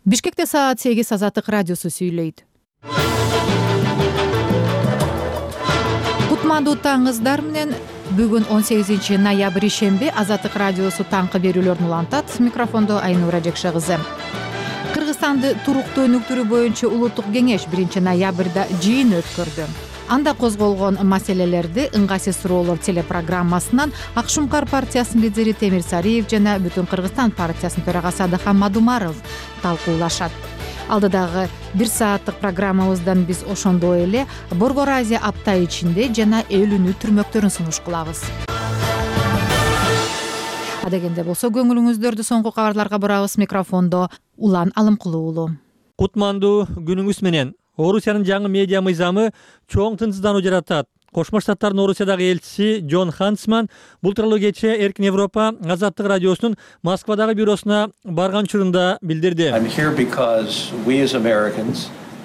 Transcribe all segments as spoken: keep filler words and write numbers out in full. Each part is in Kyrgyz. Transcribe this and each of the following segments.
Бишкекте саат сегиз Азаттык радиосу сүйлөйт. Кутмандуу таңыңыздар менен. Бүгүн он сегизинчи ноябрь ишемби Азаттык радиосу таңкы берүүлөрүн улантат. Микрофондо Айнура Жекше кызы. Кыргызстанды туруктуу өнүктүрүү боюнча улуттук кеңеш биринчи ноябрда жыйын өткөрдү. Анда козголгон маселелерди ыңгайсыз суроолор телепрограммасынан Акшумкар партиясынын лидери Темир Сариев жана Бүтүн Кыргызстан партиясынын төрагасы Адахан Мадумаров талкуулашат. Алдыдагы бир сааттык программабыздан биз ошондой эле Борбор Азия апта ичинде жана эл үнү түрмөктөрүн сунуш кылабыз. Адегенде болсо көңүлүңүздөрдү соңку кабарларга бурабыз. Микрофондо Улан Алымкулуу уулу. Кутмандуу күнүңүз менен. Орусиянын жаңы медиа мыйзамы чоң тынчсыздануу жаратат. Кошмо Штаттардын Орусиядагы элчиси Джон Хансман бул тууралуу кечээ Эркин Европа Азаттык радиосунун Москвадагы бюросуна барган учурунда билдирди.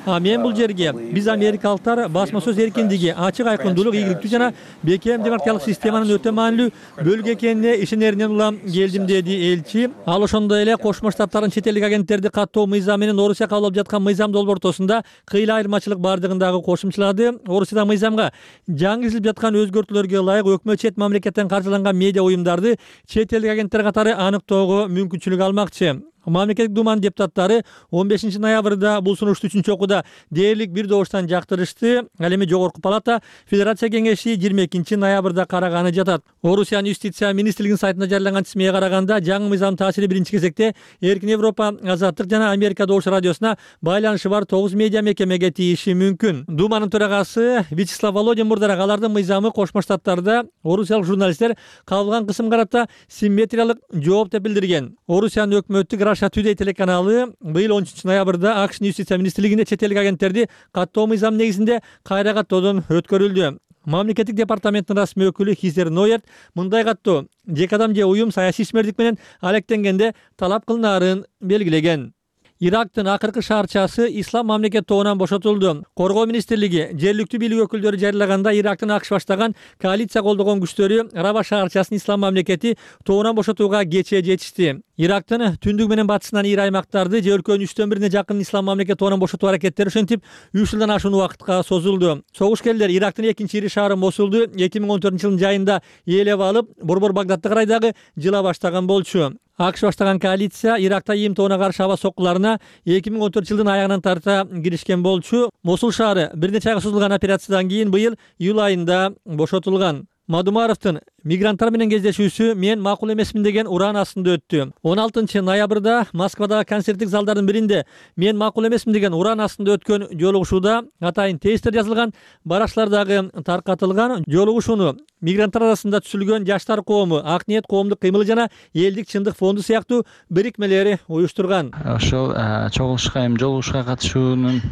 А мен бул жерге биз америкалыктар басма сөз эркиндиги, ачык айкындуулук, ийгиликтүү жана бекем демократиялык системанын өтө маанилүү бөлүгү экенине ишенеринен улам келдим, деди элчи. Ал ошондой эле Кошмо Штаттардын чет элдик агенттерди каттоо мыйзамы менен Орусия кабыл алып жаткан мыйзам долбоор ортосунда кыйла айырмачылык бардыгын дагы кошумчалады. Орусияда мыйзамга жаңы киргизилип жаткан өзгөртүүлөргө ылайык өкмөт чет мамлекеттен каржыланган медиа уюмдарды чет элдик агенттер катары аныктоого мүмкүнчүлүк алмакчы. Мамлекеттик думанын депутаттары он бешинчи ноябрда бул сунушту үчүнчү окууда дээрлик бир добуштан жактырышты. Ал эми Жогорку палата Федерация кеңеши жыйырма экинчи ноябрда караганы жатат. Орусиянын юстиция министрлигинин сайтында жарыяланган тизмеге караганда, жаңы мыйзамдын таасири биринчи кезекте Эркин Европа, Азаттык жана Америка Добуш радиосуна байланышы бар тогуз медиа мекемеге тийиши мүмкүн. Думанын төрагасы Вячеслав Володин мурдараак алардын мыйзамы Кошмо Штаттарда орусиялык журналисттер кабылган кысым карата симметриялык жооп деп билдирген. Орусиянын өкмөттүк Russia Today телеканалы быйыл он үчүнчү ноябрда АКШнын юстиция министрлигинде чет элдик агенттерди каттоо мыйзамы негизинде кайра каттоодон өткөрүлдү. Мамлекеттик департаменттин расмий өкүлү Хизер Нойерт мындай каттоо жеке адам же уюм саясий ишмердик менен алектенгенде талап кылынаарын белгилеген. Ирактын акыркы шаарчасы Ислам мамлекет тобунан бошотулду. Коргоо министрлиги жергиликтүү бийлик өкүлдөрү жарыялаганда, Ирактын АКШ баштаган коалиция колдогон күчтөрү Раба шаарчасын Ислам мамлекети тобунан бошотууга кечээ жетишти. Ирактын түндүк менен батышынан ири аймактарды же өлкөнүн үчтөн бирине жакын Ислам мамлекет тобунан бошотуу аракеттери ошентип үч жылдан ашуун убакытка созулду. Согушкерлер Ирактын экинчи ири шаары Мосулду эки миң он төртүнчү жылдын жайында ээлеп алып, борбор Багдадты карай дагы жыла баштаган болчу. АКШ баштаган коалиция Иракта ИИМ тобуна каршы аба соккуларына эки миң он төртүнчү жылдын аягынан тарта киришкен болчу. Мосул шаары бир нече айга созулган операциядан кийин быйыл июль айында бошотулган. Мадумаровдун мигранттар менен кездешүүсү мен макул эмесмин деген уран астында өттү. он алтынчы ноябрда Москвадагы концерттик залдардын биринде мен макул эмесмин деген уран астында өткөн жолугушууда атайын тезистер жазылган баракчалар дагы таркатылган. Жолугушууну мигранттар арасында түзүлгөн жаштар коому, Ак ниет коомдук кыймылы жана элдик чындык фонду сыяктуу бирикмелери уюштурган. Ошол чогулушка эми жолугушууга катышуунун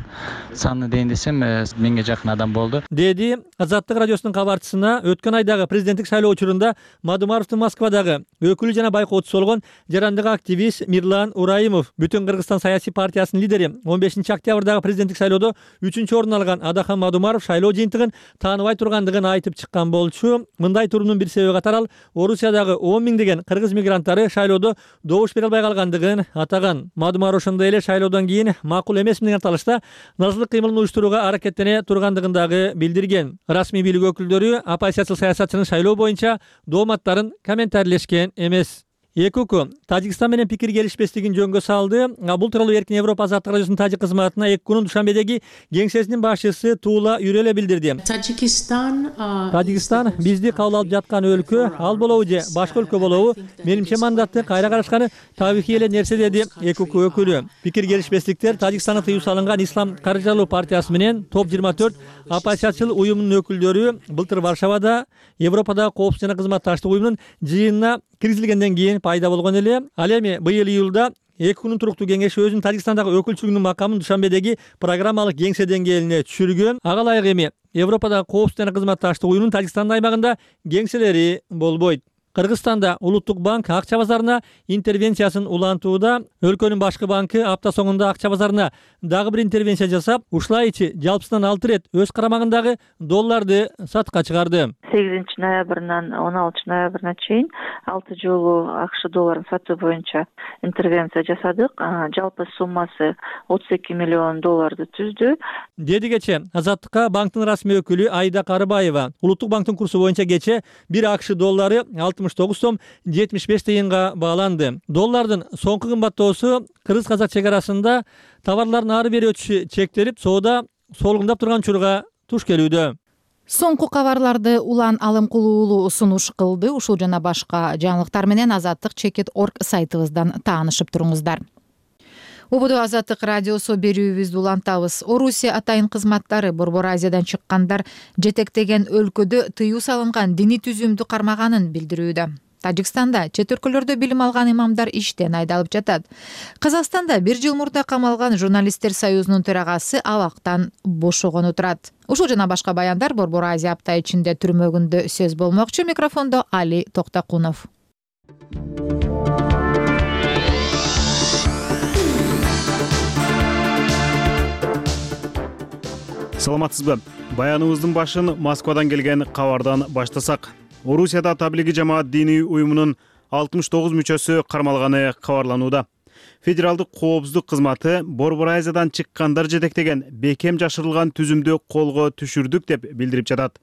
саны дейин десем, миңге жакын адам болду, деди Азаттык радиосунун кабарчысына. Өткөн айдагы президенттик шайлоо учурунда Мадумаровдун Москвадагы өкүлү жана байкоочусу болгон жарандык активист Мирлан Ураимов, Бүтүн Кыргызстан саясий партиясынын лидери, он бешинчи октябрдагы президенттик шайлоодо үчүнчү орун алган Адахан Мадумаров шайлоо жыйынтыгын тааныбай тургандыгын айтып чыккан болчу. Мындай туруунун бир себеби катары ал Орусиядагы он миңдеген кыргыз мигранттары шайлоодо добуш бере албай калгандыгын атаган. Мадумаров ошондой эле шайлоодон кийин макул эмесмин деген аталышта назылык кыймылын уюштурууга аракеттене тургандыгын дагы билдирген. Расмий бийлик өкүлдөрү оппозициялык саясатчынын шайлоо боюнча дооматтарын комментарийлешкен эмес. Эки өлкө Тажикстан менен пикир келишпестигин жөнгө салды. Бул тууралуу Эркин Европа Азаттык радиосунун тажик кызматына эки күнүн Душанбедеги кеңсесинин башчысы Тула Юреле билдирди. Тажикстан бизди кабыл алып жаткан өлкө, ал болобу же башка өлкө болобу, менимче мандатты кайра карашканы табигый эле нерсе, деди эки өлкө өкүлү. Пикир келишпестиктер Тажикстанда тыюу салынган Ислам каржылоо партиясы менен топ жыйырма төрт оппозициячыл уюмунун өкүлдөрү былтыр Варшавада Европадагы коопсуздук жана кызматташтык уюмунун жыйынына киргизилгенден кийин пайда болгон эле. Ал эми быйыл июлда эки күнүн туруктуу кеңеши өзүнүн Тажикстандагы өкүлчүлүгүнүн макамын Душанбедеги программалык кеңсе деңгээлине түшүргөн. Ага ылайык эми Европадагы коопсуздук жана кызматташтык уюмунун Тажикстандын аймагында кеңселери болбойт. Кыргызстанда Улуттук банк акча базарына интервенциясын улантууда. Өлкөнүн башкы банкы апта соңунда акча базарына дагы бир интервенция жасап, ушулайчы жалпысынан алты рет өз карамагындагы долларды сатка чыгарды. сегизинчи ноябрынан он алтынчы ноябрына чейин алты жолу АКШ долларын сатуу боюнча интервенция жасадык. Жалпы суммасы отуз эки миллион долларды түздү. Деди кече Азаттыкка банктын расмий өкүлү Айда Карыбаева. Улуттук банктын курсу боюнча кече бир АКШ доллары алтымыш тогуз сом жетимиш беш тыйынга бааланды. Доллардын соңку кымбаттоосу кыргыз-казак чек арасында товарлардын ары бери өтүшү чектелип, соода солгундап турган учурга туш келүүдө. Соңку кабарларды Улан Алым Кулуулу сунуш кылды. Ушул жана башка жаңылыктар менен Азаттык чекит точка орг сайтыбыздан таанышып туруңуздар. Убуду Азаттык радиосу берүүбүздү улантабыз. Орусия атайын кызматтары Борбор Азиядан чыккандар жетектеген өлкөдө тыюу салынган диний түзүмдү кармаганын билдирүүдө. Тажикстанда чет өлкөлөрдө билим алган имамдар иштен айдалып жатат. Казакстанда бир жыл мурда камалган журналисттер союзунун төрагасы абактан бошогону турат. Ушул жана башка баяндар Борбор Азия апта ичинде түрмөгүндө сөз болмокчу. Микрофондо Али Токтакунов. Саламатсызбы? Баяныбыздын башын Москвадан келген кабардан баштасак. Орусияда Таблиги жамаат диний уюмунун алтымыш тогуз мүчөсү кармалганы кабарланууда. Федералдык коопсуздук кызматы Борбор Азиядан чыккандар жетектеген бекем жашырылган түзүмдү колго түшүрдүк деп билдирип жатат.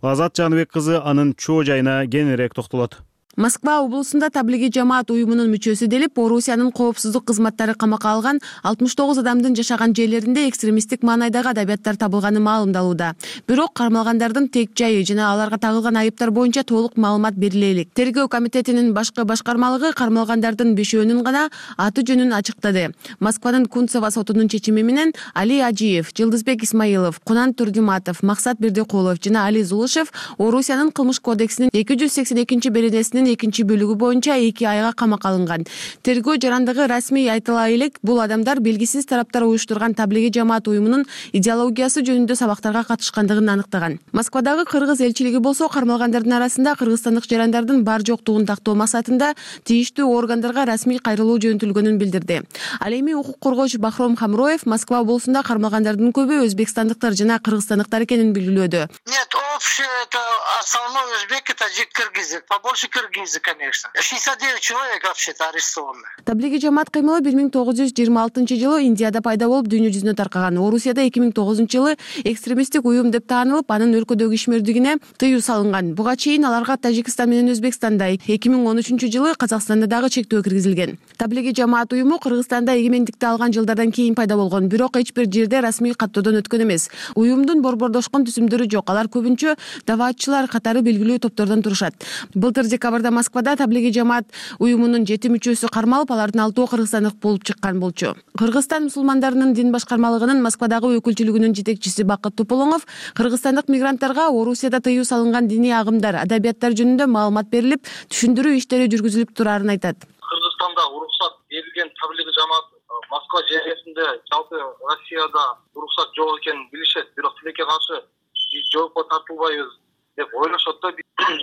Лазат Жаныбек кызы анын чоо жайына кеңирээк токтолот. Москва облусунда Таблиги жамаат уюмунун мүчөсү делип Орусиянын коопсуздук кызматтары камакка алган алтымыш тогуз адамдын жашаган жерлеринде экстремисттик маанайдагы адабияттар табылганы маалымдалууда. Бирок кармалгандардын тек жайы жана аларга тагылган айыптар боюнча толук маалымат бериле элек. Тергөө комитетинин башкы башкармалыгы кармалгандардын бешөөнүн гана аты жөнүн ачыктады. Москванын Кунцево сотунун чечими менен Али Ажиев, Жылдызбек Исмаилов, Кунан Турдиматов, Максат Бердикулов жана Али Зулушев Орусиянын кылмыш кодексинин эки жүз сексен экинчи беренесинин экинчи бөлүгү боюнча эки айга камакка алынган. Тергөө жарандыгы расмий айтыла элек, бул адамдар белгисиз тараптар уюштурган Таблиги жамаат уюмунун идеологиясы жөнүндө сабактарга катышкандыгын аныктаган. Москвадагы кыргыз элчилиги болсо кармалгандардын арасында кыргызстандык жарандардын бар жоктугун тактоо максатында тийиштүү органдарга расмий кайрылуу жөнөтүлгөнүн билдирди. Ал эми укук коргоочу Бахром Хамроев Москва облусунда кармалгандардын көбү өзбекстандыктар жана кыргызстандыктар экенин белгилөөдө. Нет, общее это основной узбеки, таджик, кыргызы. Побольше кыргызы, конечно. шестьдесят девять человек вообще-то арестованы. Таблиги жамаат кыймылы бир миң тогуз жүз жыйырма алтынчы жылы Индияда пайда болуп дүйнө жүзүнө таркаган. Орусияда эки миң тогузунчу жылы экстремисттик уюм деп таанылып, анын өлкөдөгү ишмердигине тыюу салынган. Буга чейин аларга Тажикстан менен Өзбекстанда, эки миң он үчүнчү жылы Казакстанда дагы чектөө киргизилген. Таблиги жамаат уюму Кыргызстанда эгемендикти алган жылдардан кийин пайда болгон, бирок эч бир жерде расмий каттоодон өткөн эмес. Уюмдун борбордошкон түзүмдөрү жок. Алар көбүнчө даваатчылар катары белгилүү топтордон турушат. Былтыр декабрда Москвада Таблиги жамаат уюмунун жети мүчөсү кармалып, алардын алтоо кыргызстандык болуп чыккан болчу. Кыргызстан мусулмандарынын дин башкармалыгынын Москвадагы өкүлчүлүгүнүн жетекчиси Бакыт Туполоңов кыргызстандык мигранттарга Орусияда тыюу салынган диний агымдар, адабияттар жөнүндө маалымат берилип, түшүндүрүү иштери жүргүзүлүп турарын айтат. Кыргызстанда уруксат берилген Таблиги жамаат Москва жергесинде, жалпы Россияда уруксат жок экенин билишет, бирок тилекке каршы биз жоопко тартылбайбыз деп ойлошот да.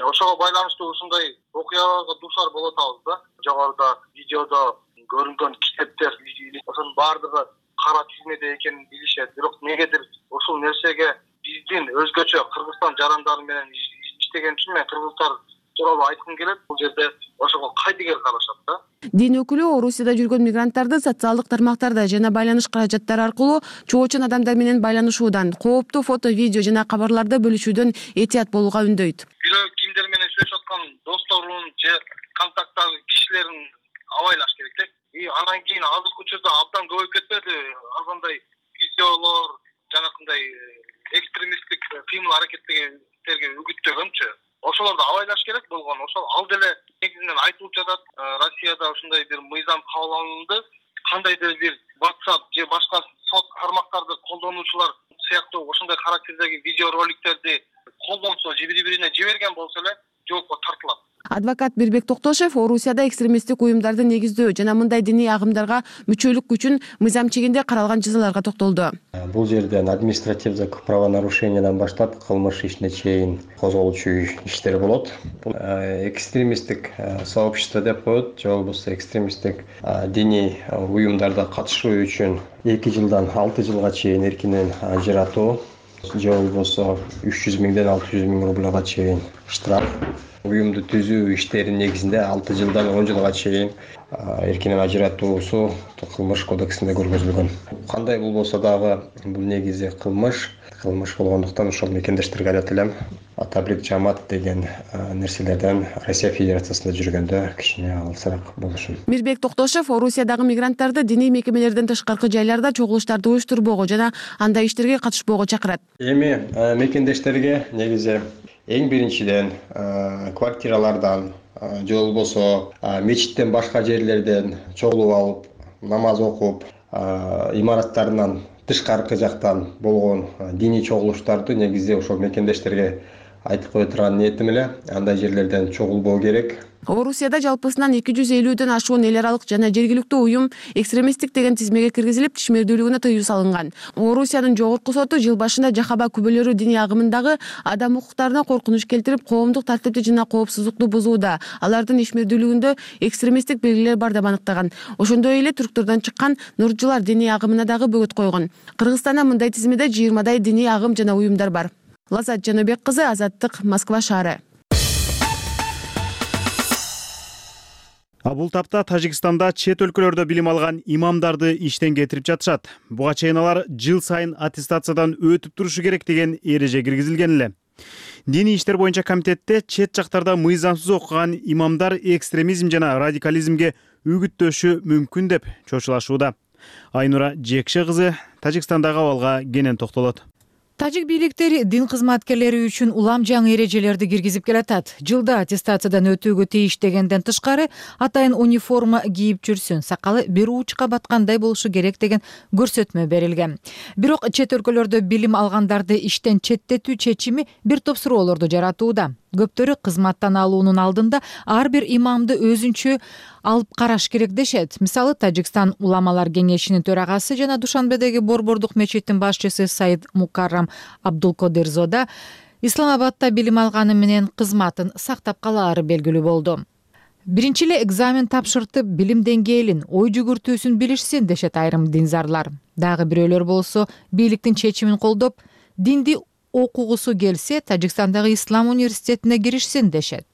Ошого байланыштуу ушундай окуяга дуушар болот атабыз да. Жогоруда видеодо көрүнгөн китептер, ошонун баардыгы кара тизмеде экенин билишет. Бирок негедир ушул нерсеге биздин өзгөчө Кыргызстан жарандары менен иштеген үчүн мен кыргыздар тууралуу айткым келет. Бул жерде ошого кайдыгер карашат да. Дин өкүлү Орусияда жүргөн мигранттарды социалдык тармактарда жана байланыш каражаттары аркылуу чоочун адамдар менен байланышуудан, кооптуу фото, видео жана кабарларды бөлүшүүдөн этият болууга үндөйт. Бирөө кимдер менен сүйлөшүп аткан досторун же контакттагы кишилерин абайлаш керек да. И анан кийин азыркы учурда абдан көбөйүп кетпеди андай видеолор, жанакындай экстремисттик кыймыл аракеттерге үгүттөгөнчү. Ошолорду абайлаш керек болгон. Ошол ал деле негизинен айтылып жатат. Россияда ушундай бир мыйзам кабыл алынды. Кандайдыр бир WhatsApp же башка сот тармактарды колдонуучулар сыяктуу ошондой характердеги видео роликтерди колдонсо же бири-бирине жиберген болсо эле жоопко тартылат. Адвокат Мирбек Токтошев Орусияда экстремисттик уюмдарды негиздөө жана мындай диний агымдарга мүчөлүк үчүн мыйзам чегинде каралган жазаларга токтолду. Бул жерден административдик правонарушениядан баштап кылмыш ишине чейин козголчу иштер болот. Бул экстремисттик сообщество деп коет, же болбосо экстремисттик диний уюмдарда катышуу үчүн эки жылдан алты жылга чейин эркинен ажыратуу, же болбосо үч жүз миңден алты жүз миң рубльга чейин штраф. Уюмду түзүү иштеринин негизинде алты жылдан он жылга чейин эркинен ажыратуусу кылмыш кодексинде көргөзүлгөн. Кандай болбосо дагы бул негизи кылмыш, кылмыш болгондуктан ошол мекендештерге айтат элем, таблик жамаат деген нерселерден Россия Федерациясында жүргөндө кичине алысыраак болушун. Мирбек Токтошев Орусиядагы мигранттарды диний мекемелерден тышкаркы жайларда чогулуштарды уюштурбоого жана андай иштерге катышпоого чакырат. Эми мекендештерге негизи эң биринчиден квартиралардан же болбосо мечиттен башка жерлерден чогулуп алып, намаз окуп, имараттарынан тышкаркы жактан болгон диний чогулуштарды негизи ошол мекендештерге айтып кое турган ниетим эле, андай жерлерден чогулбоо керек. Орусияда жалпысынан эки жүз элүүдөн ашуун эл аралык жана жергиликтүү уюм экстремисттик деген тизмеге киргизилип, тишмердүүлүгүнө тыюу салынган. Орусиянын жогорку соту жыл башында Жахаба күбөлөрү диний агымындагы адам укуктарына коркунуч келтирип, коомдук тартипти жана коопсуздукту бузууда, алардын ишмердүүлүгүндө экстремисттик белгилер бар деп аныктаган. Ошондой эле түрктөрдөн чыккан нурчулар диний агымына дагы бөгөт койгон. Кыргызстанда мындай тизмеде жыйырмадай диний агым жана уюмдар бар. Лазат Жаныбек кызы, Азаттык, Москва шаары. А бул тапта Тажикстанда чет өлкөлөрдө билим алган имамдарды иштен кетирип жатышат. Буга чейин алар жыл сайын аттестациядан өтүп турушу керек деген эреже киргизилген эле. Диний иштер боюнча комитетте чет жактарда мыйзамсыз окуган имамдар экстремизм жана радикализмге үгүттөшү мүмкүн деп чочулашууда. Айнура Жекше кызы Тажикстандагы абалга кенен токтолот. Тажик бийликтери дин кызматкерлери үчүн улам жаңы эрежелерди киргизип келатат. Жылда аттестациядан өтүүгө тийиш дегенден тышкары атайын униформа кийип жүрсүн, сакалы бир уучка баткандай болушу керек деген көрсөтмө берилген. Бирок чет өлкөлөрдө билим алгандарды иштен четтетүү чечими бир топ суроолорду жаратууда. Көптөрү кызматтан алуунун алдында ар бир имамды өзүнчө алып караш керек дешет. Мисалы, Тажикстан уламалар кеңешинин төрагасы жана Душанбедеги Борбордук мечиттин башчысы Саид Мукаррам Абдулкодирзода Исламабадда билим алганы менен кызматын сактап калаары белгилүү болду. Биринчи эле экзамен тапшыртып, билим деңгээлин, ой жүгүртүүсүн билишсин дешет айрым динзарлар. Дагы бирөөлөр болсо бийликтин чечимин колдоп, динди окугусу келсе, Тажикстандагы Ислам университетине киришсин дешет.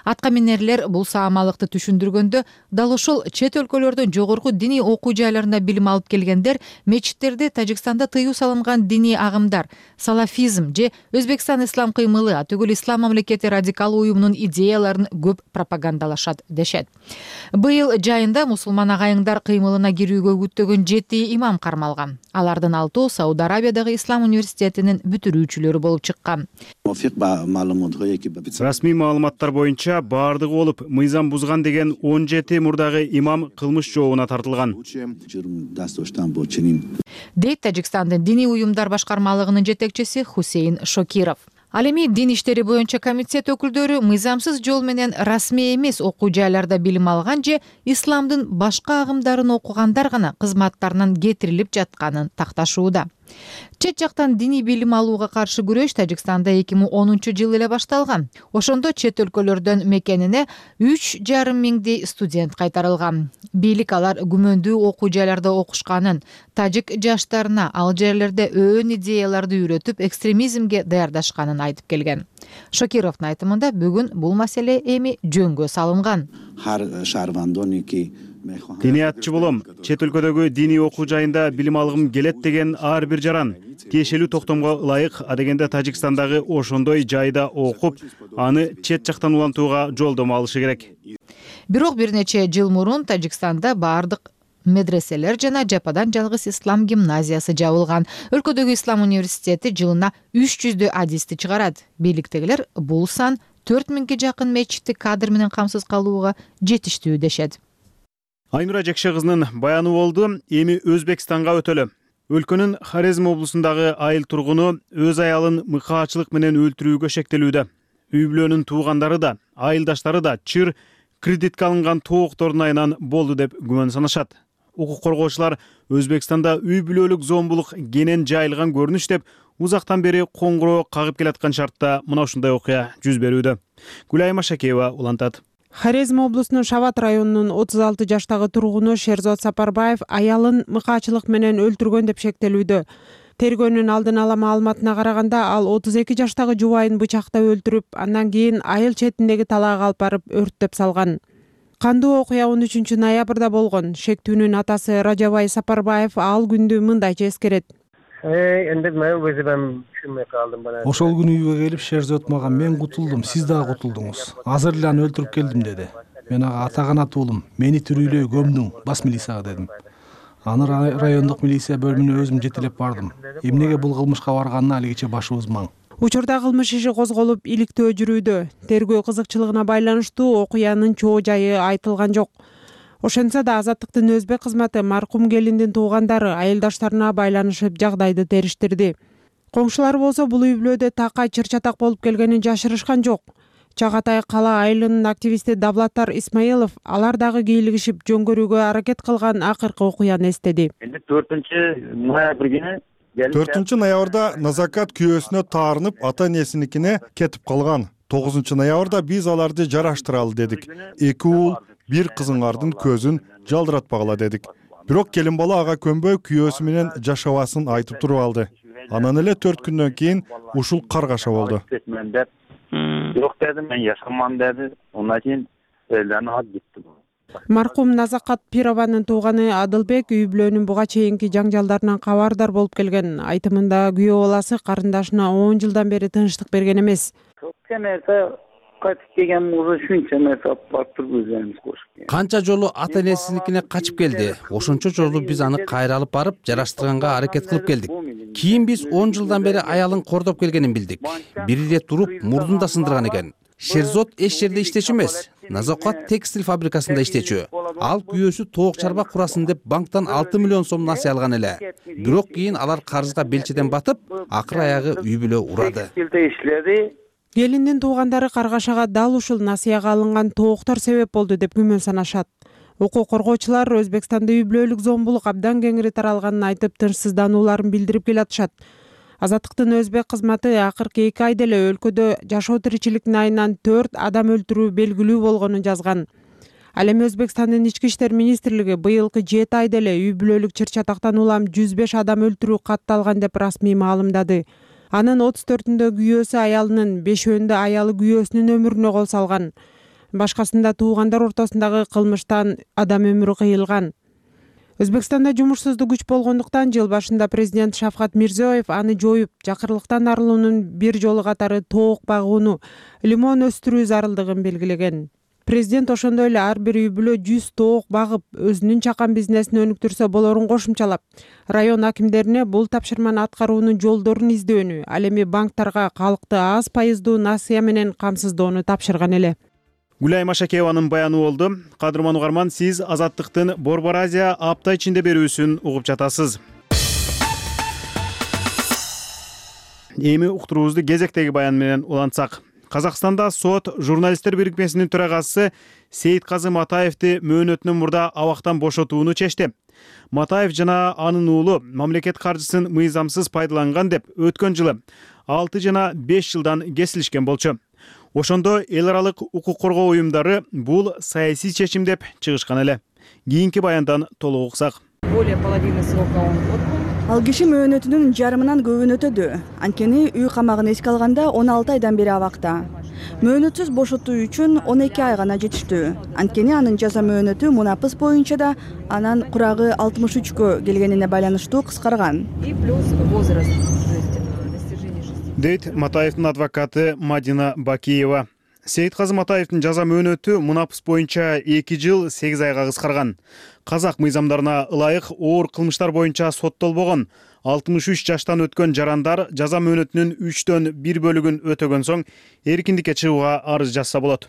Аткаминерлер бул саамалыкты түшүндүргөндө, дал ошол чет өлкөлөрдөн жогорку диний окуу жайларында билим алып келгендер мечиттерде Тажикстанда тыюу салынган диний агымдар, салафизм же Өзбекстан ислам кыймылы, атүгүл ислам мамлекети радикал уюмунун идеяларын көп пропагандалашат дешет. Быйыл жайында мусулман агайыңдар кыймылына кирүүгө үгүттөгөн жети имам кармалган. Алардын алтоо Сауд Арабиядагы Ислам университетинин бүтүрүүчүлөрү болуп чыккан. Расмий маалыматтар боюнча баардыгы болуп мыйзам бузган деген он жети мурдагы имам кылмыш жообуна тартылган. Дейт Тажикстандын диний уюмдар башкармалыгынын жетекчиси Хусейн Шокиров. Ал эми дин иштери боюнча комитет өкүлдөрү мыйзамсыз жол менен расмий эмес окуу жайларда билим алган же исламдын башка агымдарын окугандар гана кызматтарынан кетирилип жатканын такташууда. Чет жактан диний билим алууга каршы күрөш Тажикстанда эки миң онунчу жылы эле башталган. Ошондо чет өлкөлөрдөн мекенине үч жарым миңдей студент кайтарылган. Бийлик алар күмөндүү окуу жайларда окушканын, тажик жаштарына ал жерлерде өөн идеяларды үйрөтүп, экстремизмге даярдашканын айтып келген. Шокировдун айтымында бүгүн бул маселе эми жөнгө салынган. Диниятчы болом, чет өлкөдөгү диний окуу жайында билим алгым келет деген ар бир жаран тиешелүү токтомго ылайык, адегенде Тажикстандагы ошондой жайда окуп, аны чет жактан улантууга жолдомо алышы керек. Бирок бир нече жыл мурун Тажикстанда баардык медреселер жана жападан жалгыз ислам гимназиясы жабылган. Өлкөдөгү ислам университети жылына үч жүздөй адисти чыгарат. Бийликтегилер бул сан төрт миңге жакын мечитти кадр менен камсыз калууга жетиштүү дешет. Айнура Жекше кызынын баяны болду. Эми Өзбекстанга өтөлү. Өлкөнүн Хорезм облусундагы айыл тургуну өз аялын мыкаачылык менен өлтүрүүгө шектелүүдө. үй бүлөнүн туугандары да, айылдаштары да чыр кредитке алынган тооктордун айынан болду деп күмөн санашат. Укук коргоочулар Өзбекстанда үй бүлөлүк зомбулук кенен жайылган көрүнүш деп узактан бери коңгуроо кагып келаткан шартта мына ушундай окуя жүз берүүдө. Гүлайым Ашакеева улантат. Хорезм облусунун Шават районунун отуз алты жаштагы тургуну Шерзот Сапарбаев аялын мыкаачылык менен өлтүргөн деп шектелүүдө. Тергөөнүн алдын ала маалыматына караганда, ал отуз эки жаштагы жубайын бычактап өлтүрүп, андан кийин айыл четиндеги талаага алып барып өрттөп салган. Кандуу окуя он үчүнчү ноябрда болгон. Шектүүнүн атасы Ражабай Сапарбаев ал күндү мындайча эскерет. Ошол күнү үйгө келип Шерзот мага мен кутулдум, сиз дагы кутулдуңуз. Азыр эле аны өлтүрүп келдим деди. Мен ага ата канат уулум, мени тирүүлөй көмдүң, бас милицияга дедим. Аны райондук милиция бөлүмүнө өзүм жетелеп бардым. Эмнеге бул кылмышка барганына алигиче башыбыз маң. Учурда кылмыш иши козголуп, иликтөө жүрүүдө. Тергөө кызыкчылыгына байланыштуу окуянын чоо жайы айтылган жок. Ошентсе да Азаттыктын өзбек кызматы маркум келиндин туугандары айылдаштарына байланышып жагдайды териштирди. Коңшулар болсо бул үй бүлөдө такай чыр-чатак болуп келгенин жашырышкан жок. Чагатай кала айылынын активисти Давлаттар Исмаилов алар дагы кийлигишип жөн көрүүгө аракет кылган акыркы окуяны эстеди. төртүнчү ноябрда Назакат күйөөсүнө таарынып, ата энесиникине кетип калган. тогузунчу ноябрда биз аларды жараштыралы дедик. Эки уул, бир кызыңардын көзүн жалдыратпагыла дедик. Бирок келин бала ага көнбөй күйөөсү менен жашабасын айтып туруп алды. Анан эле төрт күндөн кийин ушул каргаша болду. Жок дедим, мен жашаман деди. Ондан кийин элден алып кетти. Маркум Назакат Пированын тууганы Адылбек үй бүлөнүн буга чейинки жаңжалдарынан кабардар болуп келген. Айтымында күйөө баласы карындашына он жылдан бери тынчтык берген эмес. Канча жолу ата энесиникине качып келди. Ошончо жолу биз аны кайра алып барып жараштырганга аракет кылып келдик. Кийин биз он жылдан бери аялын кордоп келгенин билдик. Бир ирет туруп мурдун да сындырган экен. Шерзот эч жерде иштечү эмес. Назакат текстиль фабрикасында иштечү. Ал күйөөсү тоок чарба курасын деп банктан алты миллион сом насыя алган эле. Бирок кийин алар карызга белчеден батып, акыры аягы үй бүлө урады. Келиндин туугандары каргашага дал ушул насыяга алынган тооктор себеп болду деп күмөн санашат. Укук коргоочулар Өзбекстанда үй бүлөлүк зомбулук абдан кеңири таралганын айтып, тынчсызданууларын билдирип келатышат. Азаттыктын өзбек кызматы акыркы эки айда эле өлкөдө жашоо тиричиликтин айынан төрт адам өлтүрүү белгилүү болгонун жазган. Ал эми Өзбекстандын ички иштер министрлиги быйылкы жети айда эле үй бүлөлүк чыр-чатактан улам жүз беш адам өлтүрүү катталган деп расмий маалымдады. Анын отуз төртүндө күйөөсү аялынын, бешөөндө аялы күйөөсүнүн өмүрүнө кол салган. Башкасында туугандар ортосундагы кылмыштан адам өмүрү кыйылган. Өзбекстанда жумушсуздук күч болгондуктан жыл башында президент Шавкат Мирзиёев аны жоюп, жакырлыктан арылуунун бир жолу катары тоок багууну, лимон өстүрүү зарылдыгын белгилеген. Президент ошондой эле ар бир үй бүлө жүз тоок багып, өзүнүн чакан бизнесин өнүктүрсө болорун кошумчалап, район акимдерине бул тапшырманы аткаруунун жолдорун издөөнү, ал эми банктарга калкты аз пайыздуу насыя менен камсыздоону тапшырган эле. Гүлайым Ашакееванын баяны болду. Кадырман угарман, сиз Азаттыктын Борбор Азия апта ичинде берүүсүн угуп жатасыз. Эми уктуруубузду кезектеги баян менен улантсак. Казакстанда сот журналисттер бирикмесинин төрагасы Сейитказы Матаевди мөөнөтүнөн мурда абактан бошотууну чечти. Матаев жана анын уулу мамлекет каржысын мыйзамсыз пайдаланган деп өткөн жылы алты жана беш жылдан кесилишкен болчу. Ошондо эл аралык укук коргоо уюмдары бул саясий чечим деп чыгышкан эле. Кийинки баяндан толук уксак. Более половины срока он отбыл. Ал киши мөөнөтүнүн жарымынан көбүн өтөдү. Анткени үй камагын эске алганда он алты айдан бери абакта. Мөөнөтсүз бошотуу үчүн он эки ай гана жетиштүү. Анткени анын жаза мөөнөтү мунапыс боюнча да анан курагы алтымыш үчкө келгенине байланыштуу кыскарган. И плюс возраст. Дейт Матаевдин адвокаты Мадина Бакиева. Сейитказы Матаевдин жаза мөөнөтү мунапыс боюнча эки жыл сегиз айга кыскарган. Казак мыйзамдарына ылайык оор кылмыштар боюнча соттолбогон алтымыш үч жаштан өткөн жарандар жаза мөөнөтүнүн үчтөн бир бөлүгүн өтөгөн соң эркиндикке чыгууга арыз жазса болот.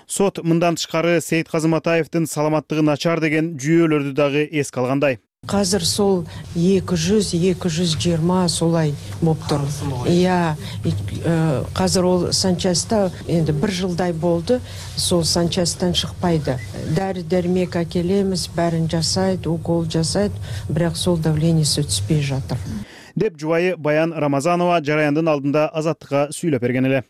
Сот мындан тышкары Сейитказы Матаевдин саламаттыгы начар деген жүйөлөрдү дагы эске алгандай. Азыр сол эки жүз эки жүз жыйырма солай болуптур. Иә, азыр ол санчаста энди бир жылдай болду, сол санчастан чыкпайды. Дары дермек акелемиз, бәрин жасайт, укол жасайт, бирок сол давлениеси түспөй жатыр. Деп жубайы Баян Рамазанова жараяндын алдында Азаттыкка сүйлөп берген эле.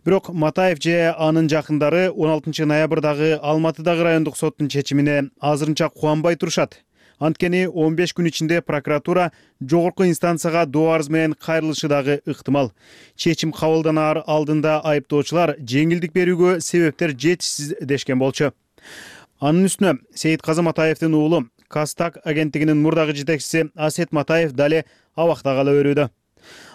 Бирок Матаев же анын жакындары он алтынчы ноябрдагы Алматыдагы райондук соттун чечимине азырынча кубанбай турушат. Анткени он беш күн ичинде прокуратура жогорку инстанцияга доо арыз менен кайрылышы дагы ыктымал. Чечим кабылданаар алдында айыптоочулар жеңилдик берүүгө себептер жетишсиз дешкен болчу. Анын үстүнө Сейитказы Матаевдин уулу Кастак агенттигинин мурдагы жетекчиси Асет Матаев дале абакта кала берүүдө.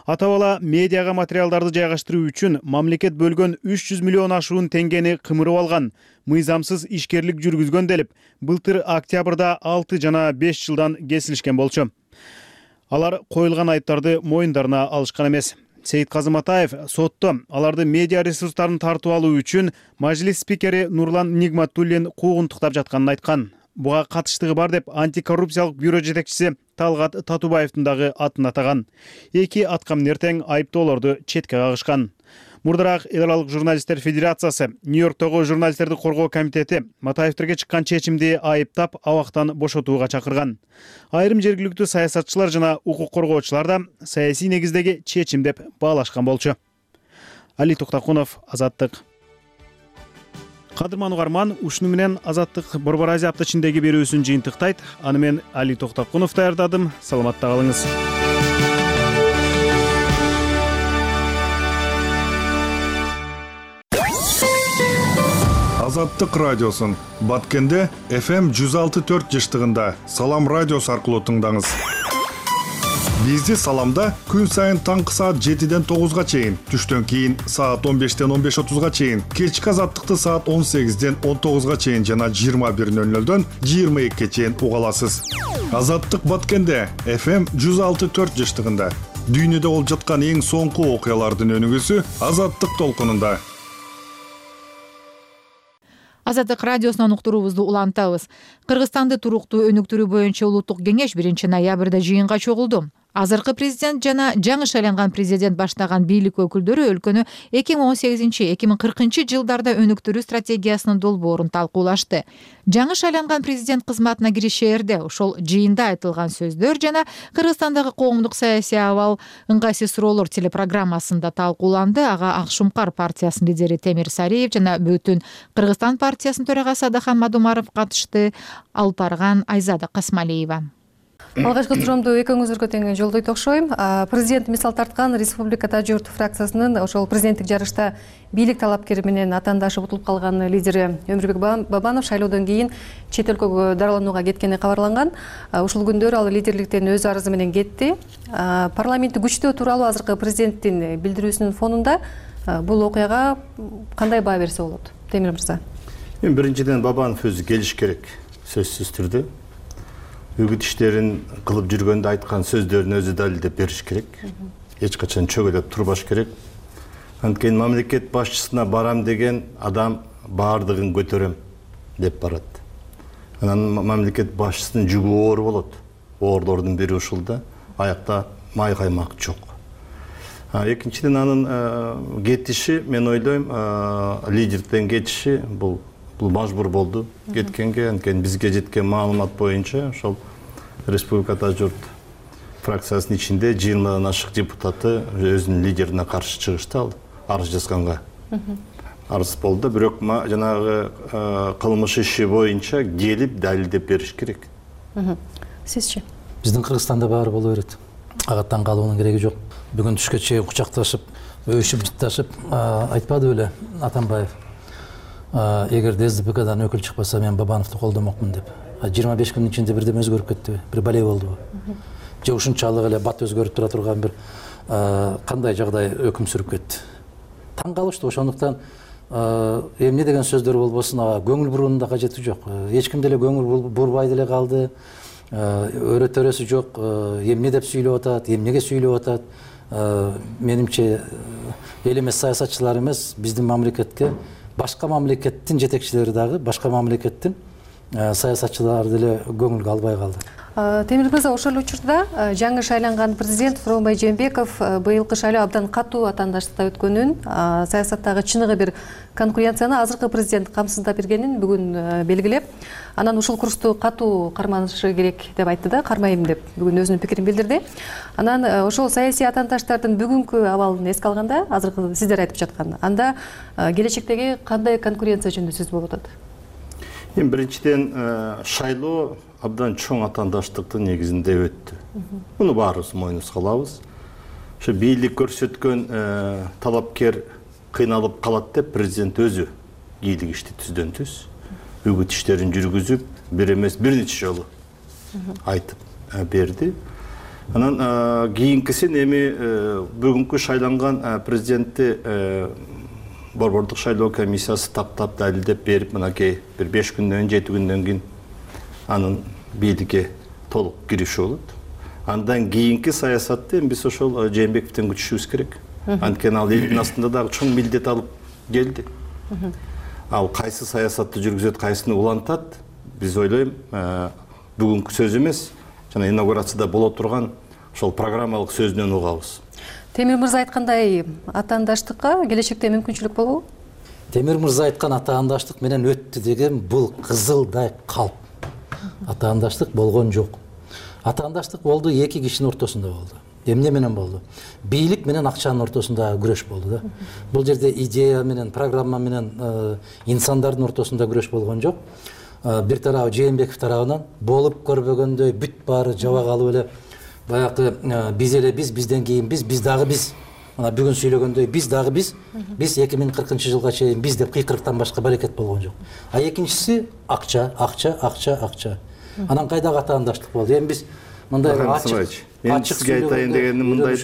Ата-бала медиага материалдарды жайгаштыруу үчүн мамлекет бөлгөн үч жүз миллион ашуун теңгени кымырып алган, мыйзамсыз ишкерлик жүргүзгөн делип, былтыр октябрда алты жана беш жылдан кесилишкен болчу. Алар коюлган айыптарды моюндарына алышкан эмес. Сейитказы Матаев сотто аларды медиа ресурстарын тартып алуу үчүн мажлис спикери Нурлан Нигматуллин куугунтуктап жатканын айткан. Буга катыштыгы бар деп антикоррупциялык бюро жетекчиси Талгат Татубаевдин дагы атын атаган. Эки аткам нертең айыптоолорду четке кагышкан. Мурдараак Эл Аралык журналисттер федерациясы, Нью-Йорктогу журналисттерди коргоо комитети Матаевтерге чыккан чечимди айыптап, абактан бошотууга чакырган. Айрым жергиликтүү саясатчылар жана укук коргоочулар да саясий негиздеги чечим деп баалашкан болчу. Али Токтакунов, Азаттык. Кадырман угарман, ушуну менен Азаттык Борбор Азия апта ичиндеги берүүсүн жыйынтыктайт. Аны мен Али Токтакунов даярдадым. Саламатта калыңыз. Азаттык радиосун Баткенде эф эм жүз алты төрт жыштыгында Салам радиосу аркылуу тыңдаңыз. Бизди Саламда күн сайын таңкы саат жетиден тогузга чейин, түштөн кийин саат он бештен он беш отузга чейин, кечки Азаттыкты саат он сегизден он тогузга чейин жана жыйырма бир нөл нөлдөн жыйырма экиге чейин уга аласыз. Азаттык Баткенде эф эм жүз алты төрт жыштыгында дүйнөдө болуп жаткан эң соңку окуялардын өнүгүүсү Азаттык толкунунда. Азаттык радиосунан уктуруубузду улантабыз. Кыргызстанды туруктуу өнүктүрүү боюнча улуттук кеңеш биринчи ноябрда жыйынга чогулду. Азыркы президент жана жаңы шайланган президент баштаган бийлик өкүлдөрү өлкөнү эки миң он сегизинчи эки миң кыркынчы жылдарда өнүктүрүү стратегиясынын долбоорун талкуулашты. Жаңы шайланган президент кызматына киришээрде ошол жыйында айтылган сөздөр жана Кыргызстандагы коомдук саясий абал ыңгайсыз суроолор телепрограммасында талкууланды. Ага Ак Шумкар партиясынын лидери Темир Сариев жана Бүтүн Кыргызстан партиясынын төрагасы Адахан Мадумаров катышты. Алып барган Айзада Касмалиева. Алгачкы суроомду экөөңүзгө тең жолдойт окшойм. Президент мисал тарткан Республикада журт фракциясынын ошол президенттик жарышта бийлик талапкери менен атаандашып утулуп калган лидери Өмүрбек Бабанов шайлоодон кийин чет өлкөгө дарыланууга кеткени кабарланган. Ушул күндөр ал лидерликтен өз арызы менен кетти. Парламентти күчтөө тууралуу азыркы президенттин билдирүүсүнүн фонунда бул окуяга кандай баа берсе болот? Темир мырза. Мен биринчиден Бабанов өзү келиш керек, сөзсүз түрдө. Үгүт иштерин кылып жүргөндө айткан сөздөрүн өзү далилдеп бериш керек. Эч качан чөгөлөп турбаш керек. Анткени мамлекет башчысына барам деген адам баардыгын көтөрөм деп барат. Анан мамлекет башчысынын жүгү оор болот. Оорлордун бири ушул да, аякта май каймак жок. Экинчиден анын кетиши, мен ойлойм, лидерден кетиши бул бул мажбур болду кеткенге. Анткени бизге жеткен маалымат боюнча ошол Республикада журт фракциясынын ичинде жыйырмадан ашык депутаты өзүнүн лидерине каршы чыгышты, ал арыз жазганга. Арыз болду, бирок жанагы кылмыш иши боюнча келип далилдеп бериш керек. Сизчи? Биздин Кыргызстанда баары боло берет. Ага таң калуунун кереги жок. Бүгүн түшкө чейин кучакташып, өшүп жытташып айтпады беле Атамбаев. Эгер ДСДПКдан өкүл чыкпаса мен Бабановду колдомокмун деп. жыйырма беш күндүн ичинде бирдеме өзгөрүп кеттиби? Бир бале болдубу? Же ушунчалык эле бат өзгөрүп тура турган бир кандай жагдай өкүм сүрүп кетти? Таң калыштуу. Ошондуктан эмне деген сөздөр болбосун, ага көңүл буруунун да кажети жок. Эч ким деле көңүл бурбай деле калды. Өрө төрөсү жок. Эмне деп сүйлөп атат, эмнеге сүйлөп атат? Менимче эл эмес саясатчылар эмес, биздин мамлекетке башка мамлекеттин жетекчилери дагы, башка мамлекеттин саясатчылары деле көңүлгө албай калды. Темир мырза, ошол учурда жаңы шайланган президент Сооронбай Жээнбеков быйылкы шайлоо абдан катуу атаандаштыкта өткөнүн, саясаттагы чыныгы бир конкуренцияны азыркы президент камсыздап бергенин бүгүн белгилеп, анан ушул курсту катуу карманышы керек деп айтты да, кармайм деп бүгүн өзүнүн пикирин билдирди. Анан ошол саясий атаандаштардын бүгүнкү абалын эске алганда, азыркы сиздер айтып жаткан, анда келечектеги кандай конкуренция жөнүндө сөз болуп атат? Эми биринчиден шайлоо абдан чоң атаандаштыктын негизинде өттү. Муну баарыбыз мойнубузга алабыз. Ошо бийлик көрсөткөн талапкер кыйналып калат деп президент өзү бийлик ишти түздөн түз үгүт иштерин жүргүзүп, бир эмес бир нече жолу айтып берди. Анан кийинкисин эми бүгүнкү шайланган президентти Борбордук шайлоо комиссиясы таптап далилдеп берип, мынакей бир беш күндөн жети күндөн кийин анын бийликке толук кириши болот. Андан кийинки саясатты биз ошол Жээнбековдон күтүшүбүз керек. Анткени ал элдин астында дагы чоң милдет алып келди. Ал кайсы саясатты жүргүзөт, кайсыны улантат, биз ойлойм, бүгүнкү сөз эмес, жана инаугурацияда боло турган ошол программалык сөзүнөн угабыз. Темир мырза айткандай, атаандаштыкка келечекте мүмкүнчүлүк болобу? Темир мырза айткан атаандаштык менен өттү деген бул кызылдай калп. Атаандаштык болгон жок. Атаандаштык болду эки кишинин ортосунда болду. Эмне менен болду? Бийлик менен акчанын ортосунда күрөш болду да. Бул жерде идея менен, программа менен инсандардын ортосунда күрөш болгон жок. Бир тарабы Жээнбеков тарабынан болуп көрбөгөндөй бүт баары жабак алып эле баягы биз эле биз, бизден кийин биз, биз дагы биз. Мына бүгүн сүйлөгөндөй биз дагы биз, биз эки миң кыркынчы жылга чейин биз деп кыйкырыктан башка баракет болгон жок. А экинчиси акча, акча, акча, акча. Анан кайдагы атаандаштык болду? Эми биз мындай ачык, ачык айтайын дегеним мындай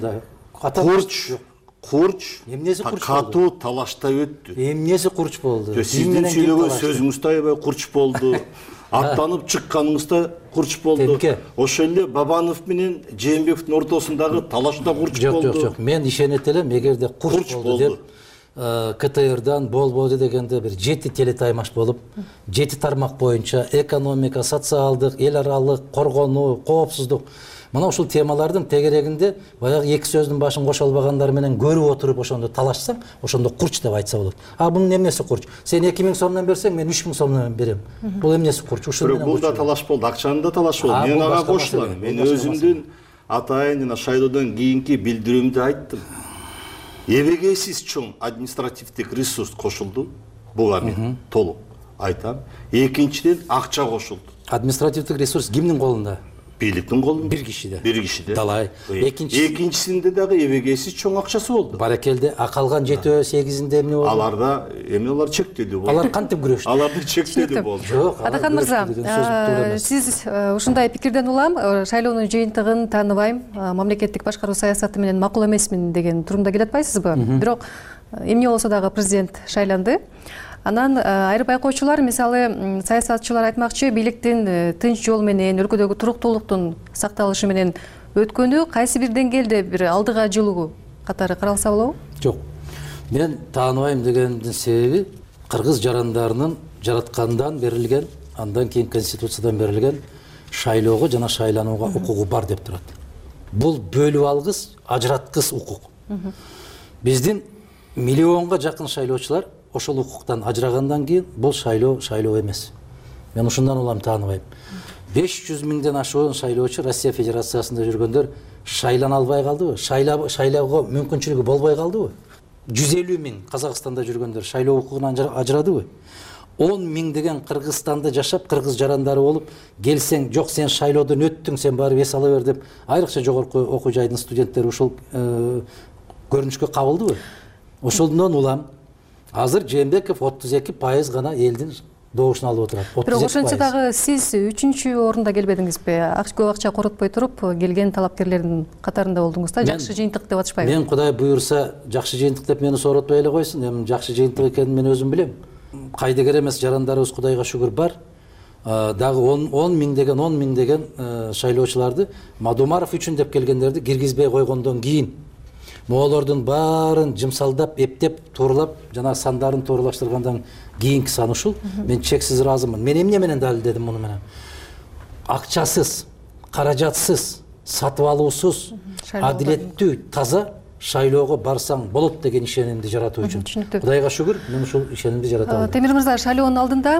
да. Курч, курч, эмнеси курч болду? Катуу талаштай өттү. Эмнеси курч болду? Сиздин сүйлөгөн сөзүңүздө аябай курч болду. Аттанып чыкканыңызда курч болду. Ошол эле Бабанов менен Жээнбековдун ортосундагы талашта курч болду. Жок, жок, жок. Мен ишенет элем, эгерде курч болду деп КТРдан болбоду дегенде бир жети телетаймаш болуп, жети тармак боюнча экономика, социалдык, эл аралык, коргонуу, коопсуздук, мына ушул темалардын тегерегинде баягы эки сөздүн башын кошо албагандар менен көрүп отуруп ошондо талашсаң, ошондо курч деп айтса болот. А бунун эмнеси курч? Сен эки миң сомдон берсең, мен үч миң сомдон берем. Бул эмнеси курч? Ушул менен. Бул да талаш болду, акчаны да талаш болду. Мен ага кошулам. Мен өзүмдүн атайын жана шайлоодон кийинки билдирүүмдү айттым. Эбегейсиз чоң административдик ресурс кошулду. Буга мен толук айтам. Экинчиден акча кошулду. Административдик ресурс кимдин колунда? Бийликтин колунда. Бир кишиде. Бир кишиде. Далай. Экинчи экинчисинде дагы эбегейсиз чоң акчасы болду. Баракелде, а калган жети сегизинде эмне болду? Аларда эми алар чектелүү болду. Алар кантип күрөштү? Аларды чектелүү болду. Жок. Атакан мырза, сиз ушундай пикирден улам, шайлоонун жыйынтыгын тааныбайм, мамлекеттик башкаруу саясаты менен макул эмесмин деген турумда келе атпайсызбы? Бирок эмне болсо дагы президент шайланды. Анан айрым байкоочулар, мисалы саясатчылар айтмакчы, бийликтин тынч жол менен, өлкөдөгү туруктуулуктун сакталышы менен өткөнү кайсы бир деңгээлде бир алдыга жылуу катары каралса болобу? Жок. Мен тааныбайм дегендин себеби кыргыз жарандарынын жараткандан берилген, андан кийин конституциядан берилген шайлоого жана шайланууга укугу бар деп турат. Бул бөлүп алгыс, ажыраткыс укук. Биздин миллионго жакын шайлоочулар ошол укуктан ажырагандан кийин бул шайлоо шайлоо эмес. Мен ушундан улам тааныбайм. беш жүз миңден ашуун шайлоочу Россия Федерациясында жүргөндөр шайлана албай калдыбы? Шайлоого мүмкүнчүлүгү болбой калдыбы? жүз элүү миң Казакстанда жүргөндөр шайлоо укугунан ажырадыбы? он миң деген Кыргызстанда жашап, кыргыз жарандары болуп, келсең, жок сен шайлоодон өттүң, сен барып эс ала бер деп, айрыкча жогорку окуу жайдын студенттери ушул көрүнүшкө кабылдыбы? Ошондон улам азыр Жээнбеков отуз эки пайыз гана элдин добушун алып отурат. Бирок ошентсе дагы сиз үчүнчү орунда келбедиңизби? Көп акча коротпой туруп, келген талапкерлердин катарында болдуңуз да, жакшы жыйынтык деп атышпайбы? Мен Кудай буюрса, жакшы жыйынтык деп мени сооротпой эле койсун. Эми жакшы жыйынтык экенин мен өзүм билем. Кайдыгер эмес жарандарыбыз Кудайга шүгүр бар. Дагы он миң деген он миң деген шайлоочуларды Мадумаров үчүн деп келгендерди киргизбей койгондон кийин моолордун баарын жымсалдап, эптеп, тууралап, жана сандарын тууралаштыргандан кийинки сан ушул. Мен чексиз ыраазымын. Мен эмне менен далилдедим муну менен? акчасыз, каражатсыз, сатып алуусуз, адилеттүү, таза шайлоого барсаң болот деген ишенимди жаратуу үчүн. Кудайга шүгүр, мен ушул ишенимди жарата алдым. Темир мырза, шайлоонун алдында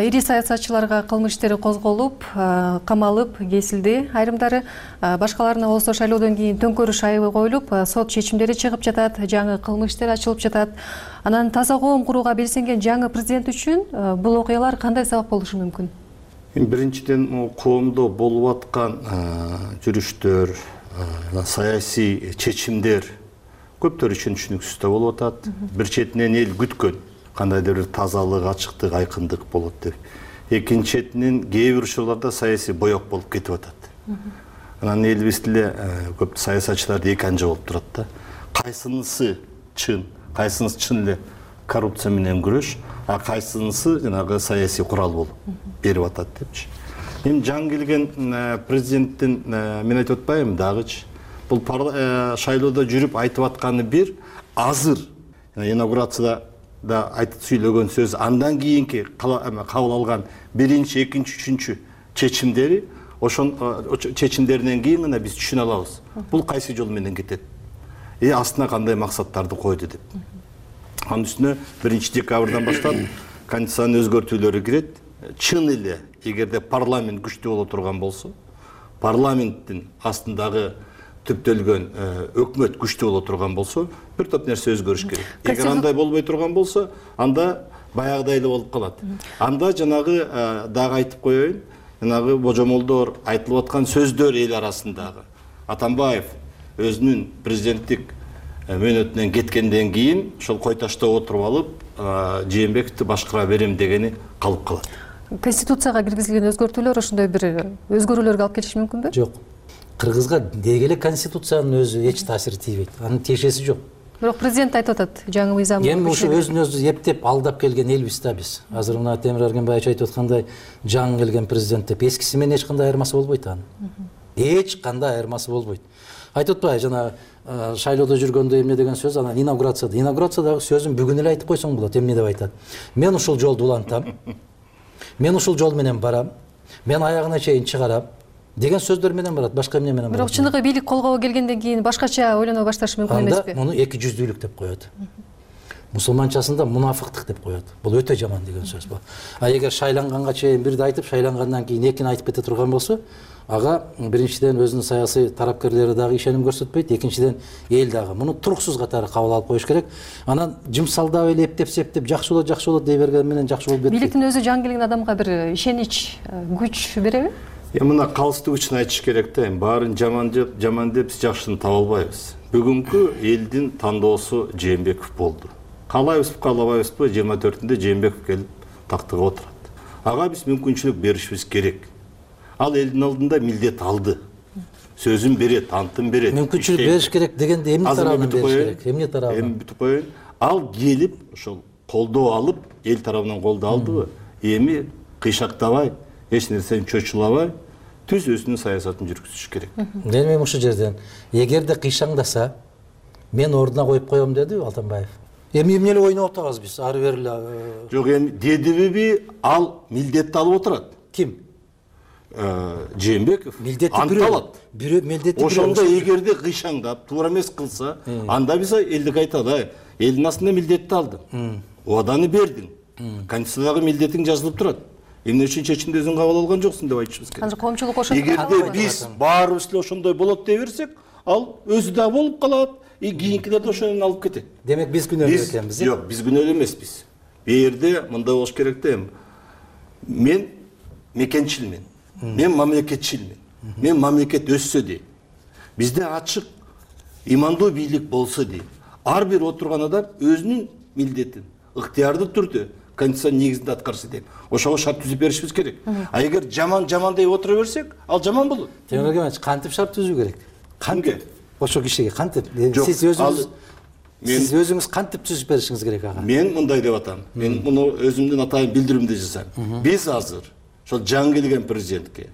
ири саясатчыларга кылмыш иштери козголуп, камалып, кесилди. Айрымдары башкаларына болсо шайлоодон кийин төңкөрүш айыбы коюлуп, сот чечимдери чыгып жатат, жаңы кылмыш иштери ачылып жатат. Анан таза коом курууга белсенген жаңы президент үчүн бул окуялар кандай сабак болушу мүмкүн? Биринчиден, коомдо болуп аткан жүрүштөр, саясий чечимдер көптөр үчүн түшүнүксүз да болуп атат. Бир четинен эл күткөн кандайдыр бир тазалык, ачыктык, айкындык болот деп. Экинчи четинен кээ бир учурларда саясий боек болуп кетип атат. Анан элибиз деле көп саясатчылар эки анжа болуп турат да. Кайсынысы чын, кайсынысы чын эле коррупция менен күрөш, а кайсынысы жанагы саясий курал болуп берип атат депчи. Эми жаңы келген президенттин мен айтып атпайбы дагычы. Бул шайлоодо жүрүп айтып атканы бир, азыр инаугурацияда да айтып сүйлөгөн сөз, андан кийинки кабыл алган биринчи, экинчи, үчүнчү чечимдери, ошон чечимдеринен кийин гана биз түшүнө алабыз. Бул кайсы жол менен кетет? Э астына кандай максаттарды койду деп. Анын үстүнө биринчи декабрдан баштап конституциянын өзгөртүүлөрү кирет. Чын эле эгерде парламент күчтүү боло турган болсо, парламенттин астындагы түптөлгөн өкмөт күчтүү боло турган болсо, бир топ нерсе өзгөрүш керек. Эгер андай болбой турган болсо, анда баягыдай эле болуп калат. Анда жанагы дагы айтып коеюн, жанагы божомолдор айтылып аткан сөздөр эл арасындагы. Атамбаев өзүнүн президенттик мөөнөтүнөн кеткенден кийин ошол кой ташта отуруп алып, Жээнбековду башкара берем дегени калып калат. Конституцияга киргизилген өзгөртүүлөр ошондой бир өзгөрүүлөргө алып келиши мүмкүнбү? Жок. Кыргызга деги эле конституциянын өзү эч таасир тийбейт. Анын тиешеси жок. Бирок президент айтып атат, жаңы мыйзам. Эми ушу өзүн өзү эптеп алдап келген элбиз да биз. Азыр мына Темир Эргенбаевич айтып аткандай, жаңы келген президент деп эскиси менен эч кандай айырмасы болбойт анын. Эч кандай айырмасы болбойт. Айтып атпайбы жана шайлоодо жүргөндө эмне деген сөз, анан инаугурацияда. Инаугурациядагы сөзүн бүгүн эле айтып койсоң болот, эмне деп айтат. Мен ушул жолду улантам. Мен ушул жол менен барам. Мен аягына чейин чыгарам деген сөздөр менен барат, башка эмне менен барат. Бирок чыныгы бийлик колго келгенден кийин башкача ойлоно башташы мүмкүн эмеспи? Анда муну эки жүздүүлүк деп коет. Мусулманчасында мунафыктык деп коет. Бул өтө жаман деген сөз бул. А эгер шайланганга чейин бирди айтып, шайлангандан кийин экини айтып кете турган болсо, ага биринчиден өзүнүн саясий тарапкерлери дагы ишеним көрсөтпөйт, экинчиден эл дагы муну туруксуз катары кабыл алып коюш керек. Анан жымсалдап эле эптеп септеп жакшы болот, жакшы болот дей берген менен жакшы болуп кетпейт. Бийликтин өзү жаңы келген адамга бир ишенич, күч береби? Эми мына калыстык үчүн айтыш керек да, эми баарын жаман деп, жаман деп биз жакшыны таба албайбыз. Бүгүнкү элдин тандоосу Жээнбеков болду. Каалайбызбы, каалабайбызбы, жыйырма төртүндө Жээнбеков келип тактыга отурат. Ага биз мүмкүнчүлүк беришибиз керек. Ал элдин алдында милдет алды. Сөзүн берет, антын берет. Мүмкүнчүлүк бериш керек дегенде эмне тарабынан бериш керек? Эмне тарабынан? Эми бүтүп коеюн. Ал келип ошол колдоо алып, эл тарабынан колдоо алдыбы? Эми кыйшактабай, эч нерсени чочулабай, түз өзүнүн саясатын жүргүзүш керек. Эми ушул жерден эгерде кыйшаңдаса, мен ордуна коюп коем дедиби Атамбаев? Эми эмне эле ойноп атабыз биз? Ары бери эле. Жок, эми дедиби, ал милдетти алып отурат. Ким? Жээнбеков анталат. Бирөө милдети. Ошондо эгерде кыйшаңдап, туура эмес кылса, анда биз элдик айтат, элдин астында милдетти алдың. Убаданы бердиң. Конституциядагы милдетиң жазылып турат. Эмне үчүн чечимди өзүң кабыл алган жоксуң деп айтышыбыз керек. Азыр коомчулук ошондо. Эгерде биз баарыбыз эле ошондой болот дей берсек, ал өзү да болуп калат, и кийинкилер да ошону алып кетет. Демек биз күнөөлүү экенбиз. Жок, биз күнөөлүү эмеспиз. Бу жерде мындай болуш керек да, мен мекенчилмин. Мен мамлекетчилмин. Мен мамлекет өссө дейм. Бизде ачык, имандуу бийлик болсо дейм. Ар бир отурган адам өзүнүн милдетин ыктыярдуу түрдө конституциянын негизинде аткарса дейм. Ошого шарт түзүп беришибиз керек. А эгер жаман жаман деп отура берсек, ал жаман болот. Темирбек, кантип шарт түзүү керек? Кантип? Ошол кишиге кантип? Сиз өзүңүз Сиз өзүңүз кантип түзүп беришиңиз керек ага? Мен мындай деп атам. Мен муну өзүмдүн атайын билдирүүмдү жасайм. Биз азыр ошол жаңы келген президентке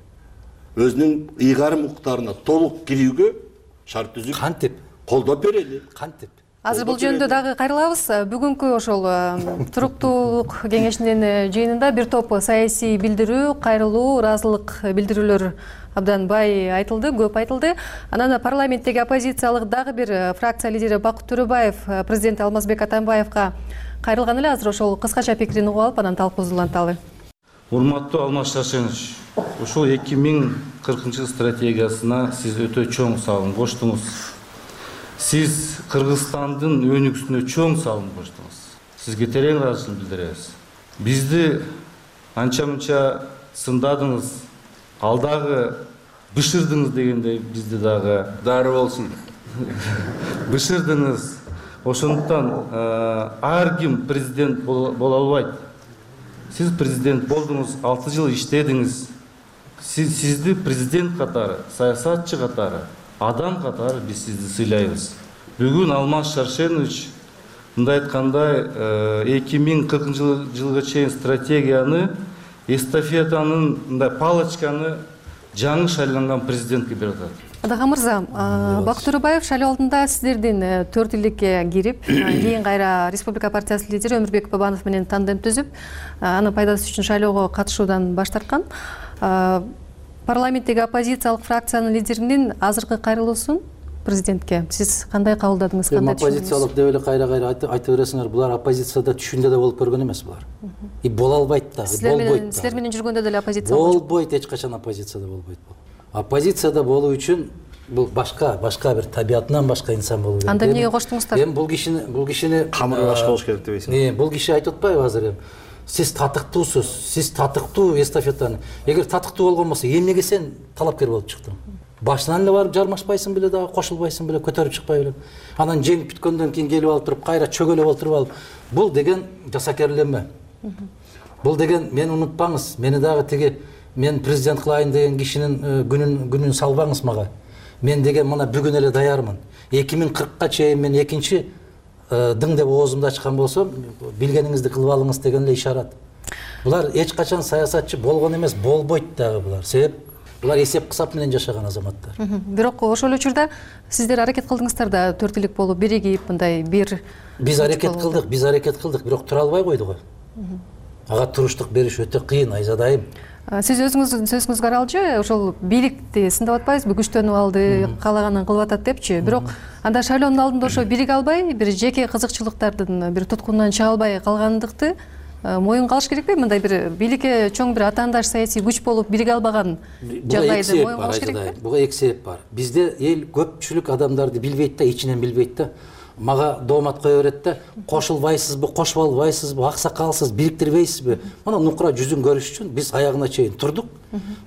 өзүнүн ыйгарым укуктарына толук кирүүгө шарт түзүп кантип колдоп берели. Кантип? азыр бул жөнүндө дагы кайрылабыз. Бүгүнкү ошол туруктуулук кеңешинин жыйынында бир топ саясий билдирүү, кайрылуу, ыраазылык билдирүүлөр абдан бай айтылды, көп айтылды. Анан парламенттеги оппозициялык дагы бир фракция лидери Бакыт Төрөбаев президент Алмазбек Атамбаевга кайрылган эле. Азыр ошол кыскача пикирин угуп алып, анан талкуубузду уланталы. Урматтуу Алмаз Шаршенович, ушул эки миң кыркынчы стратегиясына сиз өтө чоң салым коштуңуз. Сиз Кыргызстандын өнүгүүсүнө чоң салым коштуңуз. Сизге терең ыраазычылык билдиребиз. Бизди анча-мынча сындадыңыз, алдагы бышырдыңыз дегендей бизди дагы дары болсун. Бышырдыңыз. Ошондуктан ар ким президент боло албайт. Сиз президент болдуңуз, алты жыл иштедиңиз. Сиз сизди президент катары, саясатчы катары, адам катары биз сизди сыйлайбыз. Бүгүн Алмаз Шаршенович мындай айткандай эки миң кыркынчы жылга чейин стратегияны, эстафетанын мындай палочканы жаңы шайланган президентке берип атат. Адага мырза, Бакыт Төрөбаев шайлоо алдында сиздердин төрт илдикке кирип, кийин кайра Республика партиясынын лидери Өмүрбек Бабанов менен тандем түзүп, анын пайдасы үчүн шайлоого катышуудан баш тарткан. Парламенттеги оппозициялык фракциянын лидеринин азыркы кайрылуусун президентке сиз кандай кабылдадыңыз, кандай түшүндүңүз? Оппозициялык деп эле кайра-кайра айтып бересиңер, булар оппозицияда түшүндө да болуп көргөн эмес булар. И боло албайт да, болбойт. Силер менен жүргөндө деле оппозиция болбойт, эч качан оппозицияда болбойт бул. Оппозицияда болуу үчүн бул башка, башка бир табиятынан башка инсан болуу керек. Анда эмнеге коштуңуздар? Эми бул кишини, бул кишини камыры башка болуш керек дебейсиңби? Эми бул киши айтып атпайбы азыр эми? Сиз татыктуусуз, сиз татыктуу эстафетаны. Эгер татыктуу болгон болсо, эмнеге сен талапкер болуп чыктың? Башынан эле барып жармашпайсың беле дагы, кошулбайсың беле, көтөрүп чыкпай беле. Анан жеңип бүткөндөн кийин келип алып туруп, кайра чөгөлөп отуруп алып, бул деген жасакерлеме. Бул деген, мени унутпаңыз, мени дагы тиги мен президент кылайын деген кишинин күнүн күнүн салбаңыз мага. Мен деген мына бүгүн эле даярмын. эки миң кыркка чейин мен экинчи дың деп оозумду ачкан болсом, билгениңизди кылып алыңыз деген эле ишарат. Булар эч качан саясатчы болгон эмес, болбойт дагы булар. Себеп булар эсеп-кысап менен жашаган азаматтар. Бирок ошол учурда сиздер аракет кылдыңыздар да төрт илик болуп биригип мындай бир. Биз аракет кылдык, биз аракет кылдык, бирок тура албай койду го. Ага туруштук бериш өтө кыйын, Айзадайым. Сиз өзүңүздүн сөзүңүзгө каралчы, ошол бийликти сындап атпайсызбы, күчтөнүп алды, каалаганын кылып атат депчи. Бирок анда шайлоонун алдында ошо бириге албай, бир жеке кызыкчылыктардын бир туткунунан чыга албай калгандыкты моюнга алыш керекпи? Мындай бир бийликке чоң бир атаандаш саясий күч болуп бириге албаган жагдайды моюнга алыш керекпи? Буга эки себеп бар. Бизде эл көпчүлүк адамдарды билбейт да, ичинен билбейт да. Мага доомат кое берет да, кошулбайсызбы, кошуп албайсызбы, аксакалсыз, бириктирбейсизби? Мына нукура жүзүн көрүш үчүн биз аягына чейин турдук.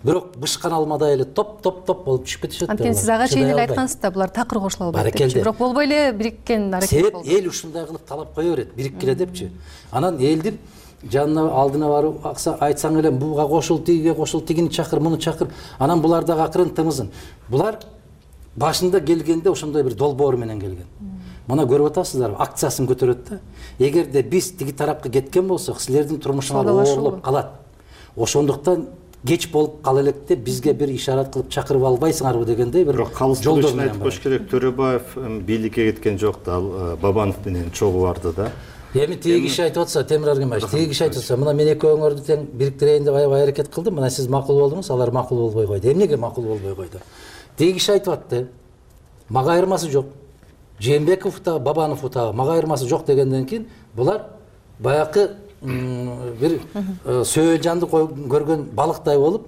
Бирок бышкан алмадай эле топ-топ-топ болуп түшүп кетишет. Анткени сиз ага чейин эле айткансыз да, булар такыр кошула албайт депчи. Бирок болбой эле бириккен аракет болду. Себеп эл ушундай кылып талап кое берет, бириккиле депчи. Анан элдин жанына алдына барып айтсаң эле буга кошул, тигиге кошул, тигини чакыр, муну чакыр. Анан булар дагы акырын тымызын. Булар башында келгенде ошондой бир долбоор менен келген. Мына көрүп атасыздар, акциясын көтөрөт да. Эгерде биз тиги тарапка кеткен болсок, силердин турмушуңар оорлоп калат. Ошондуктан кеч болуп кала электе бизге бир ишарат кылып чакырып албайсыңарбы дегендей бир жолдор менен айтып коюш керек. Төрөбаев бийликке кеткен жок да, Бабанов менен чогуу барды да. Эми тиги киши айтып атса, Темир Аргимбаевич, тиги киши айтып атса, мына мен экөөңөрдү тең бириктирейин деп аябай аракет кылдым, мына сиз макул болдуңуз, алар макул болбой койду. Эмнеге макул болбой койду? Тиги киши айтып атты, мага айырмасы жок. Жээнбеков да, Бабанов да, мага айырмасы жок дегенден кийин булар баякы бир сөөл жанды көргөн балыктай болуп,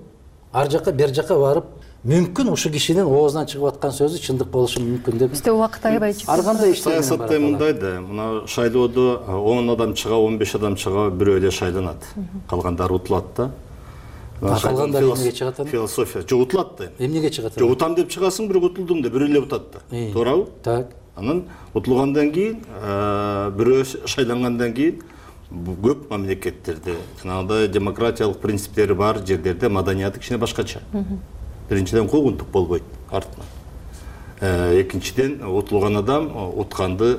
ар жака бер жака барып, мүмкүн ушу кишинин оозунан чыгып аткан сөзү чындык болушу мүмкүн деп. Бизде убакыт аябай чыкты. Ар кандай саясатта мындай да, мына шайлоодо он адам чыга, он беш адам чыга, бирөө эле шайланат. Калгандары утулат да. Калгандар эмнеге чыгат? Философия. Жок утулат да. Эмнеге чыгат? Жок утам деп чыгасың, бирок утулдум деп бирөө эле утат да. Туурабы? Так. Анан утулгандан кийин, бирөө шайлангандан кийин көп мамлекеттерде жанагындай демократиялык принциптери бар жерлерде маданияты кичине башкача. Биринчиден куугунтук болбойт артынан. Экинчиден утулган адам утканды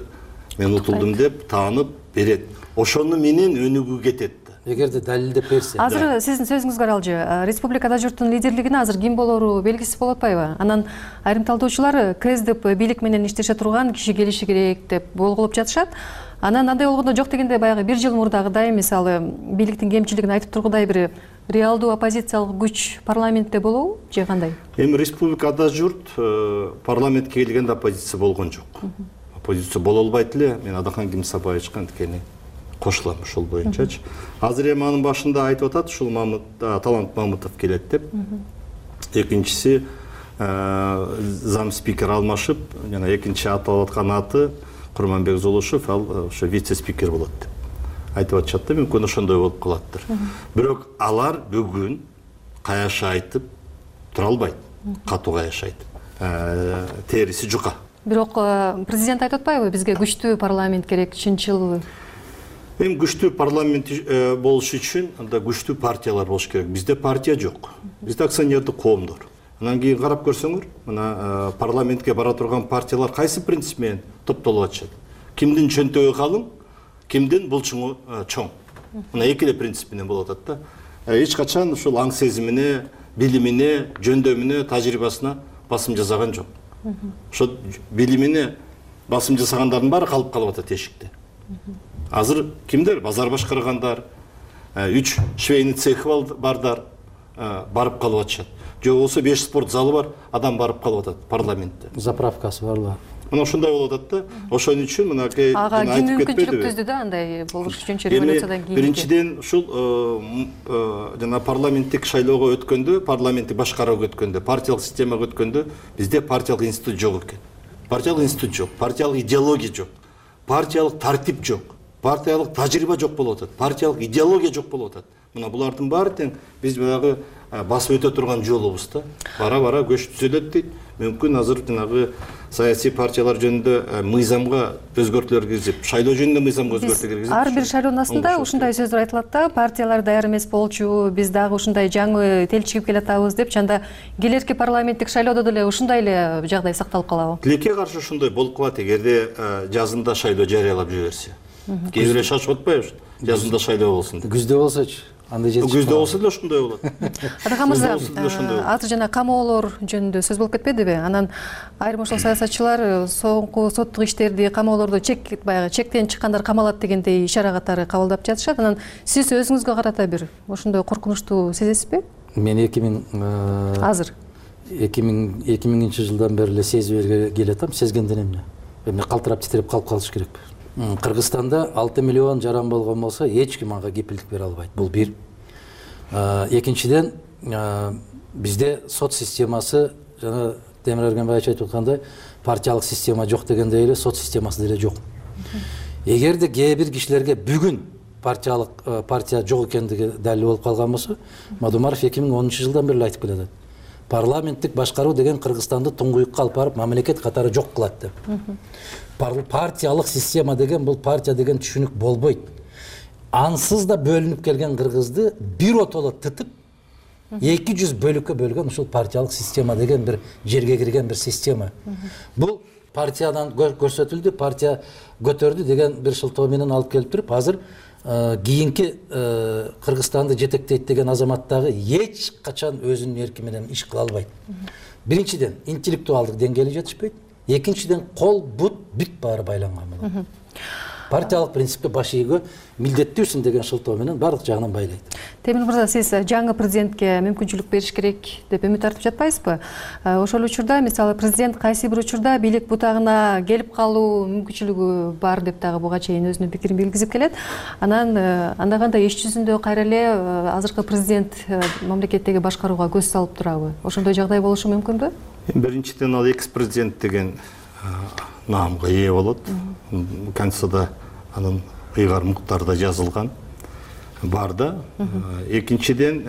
мен утулдум деп таанып берет. Ошону менен өнүгүү кетет да. эгерде далилдеп берсе. Азыр сиздин сөзүңүз каралжы, республикада журттун лидерлигине азыр ким болору белгисиз болуп атпайбы? Анан айрым талдоочулар КСДП бийлик менен иштеше турган киши келиши керек деп болгулуп жатышат. Анан андай болгондо жок дегенде баягы бир жыл мурдагыдай, мисалы, бийликтин кемчилигин айтып тургудай бир реалдуу оппозициялык күч парламентте болобу же кандай? Эми республикада журт парламентке келгенде оппозиция болгон жок. Оппозиция боло албайт эле. Мен Адахан Кимсабаевичке анткени кошулам ошол боюнчачы. Азыр эми анын башында айтып атат, ушул Талант Мамытов келет деп. Экинчиси зам спикер алмашып, жана экинчи аталып аткан аты Курманбек Золушев, ал ошо вице-спикер болот деп айтып атышат да, мүмкүн ошондой болуп калаттыр. Бирок алар бүгүн каяша айтып тура албайт. Катуу каяша айтып. Териси жука. Бирок президент айтып атпайбы, бизге күчтүү парламент керек, чынчыл? Эми күчтүү парламент болуш үчүн анда күчтүү партиялар болуш керек. Бизде партия жок. Бизде акционердик коомдор. Анан кийин карап көрсөңөр, мына парламентке бара турган партиялар кайсы принцип менен топтолуп атышат? Кимдин чөнтөгү калың, кимдин булчуңу чоң. Мына эки эле принцип менен болуп атат да. Эч качан ушул аң сезимине, билимине, жөндөмүнө, тажрыйбасына басым жасаган жок. Ошо билимине басым жасагандардын баары калып калып атат эшикте. Азыр кимдер? Базар башкаргандар, үч швейный цехи бардар барып калып атышат. Же болбосо беш спорт залы бар, адам барып калып атат парламентте. Заправкасы барбы? Мына ошондой болуп атат да. Ошон үчүн мынакей айтып кетпедиби? Түздү да, андай болуш үчүн революциядан кийин. Биринчиден ушул жана парламенттик шайлоого өткөндө, парламенттик башкарууга өткөндө, партиялык системага өткөндө бизде партиялык институт жок экен. Партиялык институт жок, партиялык идеология жок, партиялык тартип жок, партиялык тажрыйба жок болуп атат, партиялык идеология жок болуп атат. Мына булардын баары тең биз баягы басып өтө турган жолубуз да. Бара-бара көч түзөлөт дейт. Мүмкүн азыр жанагы саясий партиялар жөнүндө мыйзамга өзгөртүүлөр киргизип, шайлоо жөнүндө мыйзамга өзгөртүү киргизип. Ар бир шайлоонун астында ушундай сөздөр айтылат да, партиялар даяр эмес болчу, биз дагы ушундай жаңы телчигип келатабыз деп, чанда келерки парламенттик шайлоодо деле ушундай эле жагдай сакталып калабы? Тилекке каршы ушундай болуп калат эгерде жазында шайлоо жарыялап жиберсе. Кээ бирөө шашып атпайбы? Жазында шайлоо болсун деп. Күздө болсочу? Күздө болсо деле ошондой болот. Адахан мырза, азыр жана камоолор жөнүндө сөз болуп кетпедиби? Анан айрым ошол саясатчылар соңку соттук иштерди, камоолорду чек баягы чектен чыккандар камалат дегендей ишара катары кабылдап жатышат. Анан сиз өзүңүзгө карата бир ошондой коркунучтуу сезесизби? Мен эки миң азыр эки миңинчи жылдан бери эле сезип келатам, сезгенден эмне? Эми калтырап титиреп калып калыш керек. Кыргызстанда алты миллион жаран болгон болсо эч ким ага кепилдик бере албайт. Бул бир. Экинчиден, бизде сот системасы жана Темир Эргенбаевич айтып аткандай, партиялык система жок дегендей эле сот системасы деле жок. Эгерде кээ бир кишилерге бүгүн партиялык партия жок экендиги далил болуп калган болсо, Мадумаров эки миң онунчу жылдан бери айтып келатат. Парламенттик башкаруу деген Кыргызстанды туңгуюкка алып барып мамлекет катары жок кылат деп. Партиялык система деген бул партия деген түшүнүк болбойт. Ансыз да бөлүнүп келген Кыргызды бир отоло тытып эки жүз бөлүккө бөлгөн ушул партиялык система деген бир жерге кирген бир система. Бул партиядан көрсөтүлдү, партия көтөрдү деген бир шылтоо менен алып келип туруп, азыр кийинки Кыргызстанды жетектейт деген азамат дагы эч качан өзүнүн эрки менен иш кыла албайт. Биринчиден, интеллектуалдык деңгээли жетишпейт. Экинчиден, кол, бут, бүт баары байланган болот. Партиялык принципке баш ийүүгө милдеттүүсүн деген шылтоо менен баардык жагынан байлайт. Темир мырза, сиз жаңы президентке мүмкүнчүлүк бериш керек деп үмүт артып жатпайсызбы? Ошол учурда, мисалы, президент кайсы бир учурда бийлик бутагына келип калуу мүмкүнчүлүгү бар деп дагы буга чейин өзүнүн пикирин билгизип келет. Анан анда кандай иш жүзүндө кайра эле азыркы президент мамлекеттеги башкарууга көз салып турабы? Ошондой жагдай болушу мүмкүнбү? Биринчиден, ал экс-президент деген наамга ээ болот. Конституцияда анын ыйгар муктарда жазылган бар да. Экинчиден,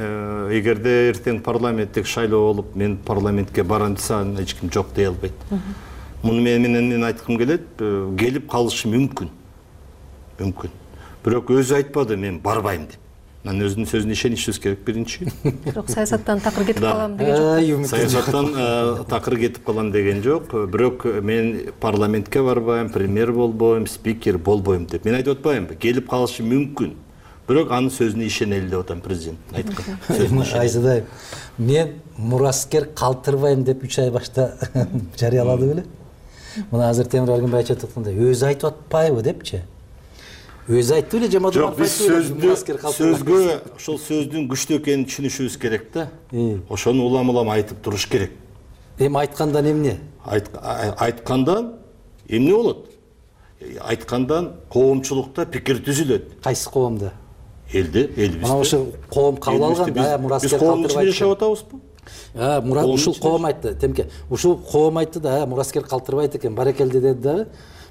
эгерде эртең парламенттик шайлоо болуп, мен парламентке барам десем, эч ким жок дей албайт. Муну менен мен айткым келет, келип калышы мүмкүн. Мүмкүн. Бирок өзү айтпады, мен барбайм деп. Мен өзүнүн сөзүнө ишенишибиз керек биринчи. Бирок саясаттан такыр кетип калам деген жок. Саясаттан такыр кетип калам деген жок. Бирок мен парламентке барбайм, премьер болбойм, спикер болбойм деп. Мен айтып атпаймынбы? Келип калышы мүмкүн. бирок анын сөзүнө ишенели деп атам, президент айткан. Айзадай, мен мураскер калтырбайм деп үч ай башта жарыялады беле. Мына азыр Темир Аргынбай айтып аткандай, өзү айтып атпайбы депчи. Өзү айтты беле, жамаат жок, биз сөздү сөзгө ошол сөздүн күчтүү экенин түшүнүшүбүз керек да. Ошону улам-улам айтып туруш керек. Эми айткандан эмне? Айткандан эмне болот? Айткандан коомчулукта пикир түзүлөт. Кайсы коомда? Элде, элибизде. Мына ошо коом кабыл алган, да, мураскер калтырбайт. Биз коомдун ичинде жашап атабызбы? А, Мурат ушул коом айтты, Темке. Ушул коом айтты да, мураскер калтырбайт экен, барекелди деди дагы.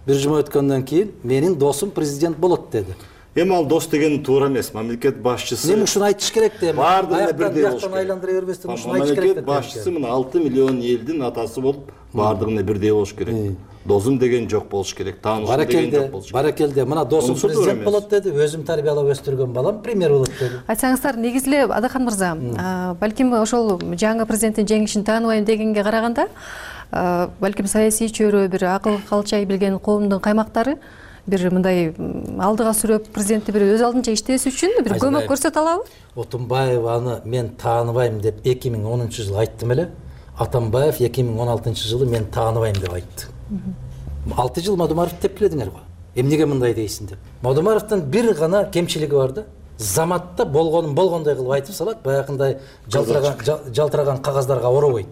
Бир жума өткөндөн кийин менин досум президент болот деди. Эми ал дос деген туура эмес. Мамлекет башчысы. Эми ушуну айтыш керек да эми. Баардыгына бирдей болуш керек. Айландыра бербестен ушуну айтыш керек. Мамлекет башчысы мына алты миллион элдин атасы болуп, баардыгына бирдей болуш керек. Досум деген жок болуш керек. Таанышым деген жок болуш керек. Баракелде, мына досум президент болот деди, өзүм тарбиялап өстүргөн балам премьер болот деди. Айтсаңыздар, негизи эле Адахан мырза, балким ошол жаңы президенттин жеңишин тааныбайм дегенге караганда, балким саясий чөйрө, бир акыл калчай билген коомдун каймактары бир мындай алдыга сүрөп президентти бир өз алдынча иштөөсү үчүн бир көмөк көрсөтө алабы? Отунбаев аны мен тааныбайм деп эки миң онунчу жылы айттым эле. Атамбаев эки миң он алтынчы жылы мен тааныбайм деп айтты. алты жыл Мадумаров тепкиледиңер го. Эмнеге мындай дейсиң деп. Мадумаровдун бир гана кемчилиги бар да. Заматта болгонун болгондой кылып айтып салат, баягындай жалтыраган жалтыраган кагаздарга оробойт.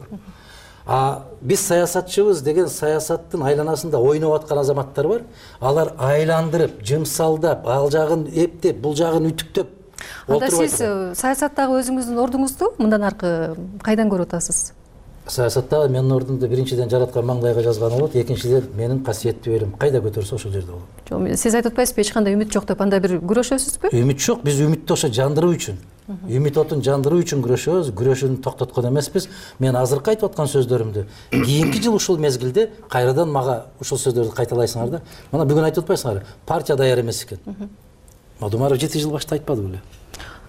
А биз саясатчыбыз деген саясаттын айланасында ойноп аткан азаматтар бар. Алар айландырып, жымсалдап, ал жагын эптеп, бул жагын үтүктөп Анда сиз саясаттагы өзүңүздүн ордуңузду мындан аркы кайдан көрүп атасыз? Саясаттагы менин ордумду биринчиден жараткан маңдайга жазган болот, экинчиден менин касиеттүү элим кайда көтөрсө ошол жерде болот. Жок, сиз айтып атпайсызбы, эч кандай үмүт жок деп, анда бир күрөшөсүзбү? Үмүт жок, биз үмүттү ошо жандыруу үчүн. Үмүт отун жандыруу үчүн күрөшөбүз, күрөшүүнү токтоткон эмеспиз. Мен азыркы айтып аткан сөздөрүмдү кийинки жыл ушул мезгилде кайрадан мага ушул сөздөрдү кайталайсыңар да. Мына бүгүн айтып атпайсыңарбы? Партия даяр эмес экен. Мадумаров жети жыл башта айтпады беле?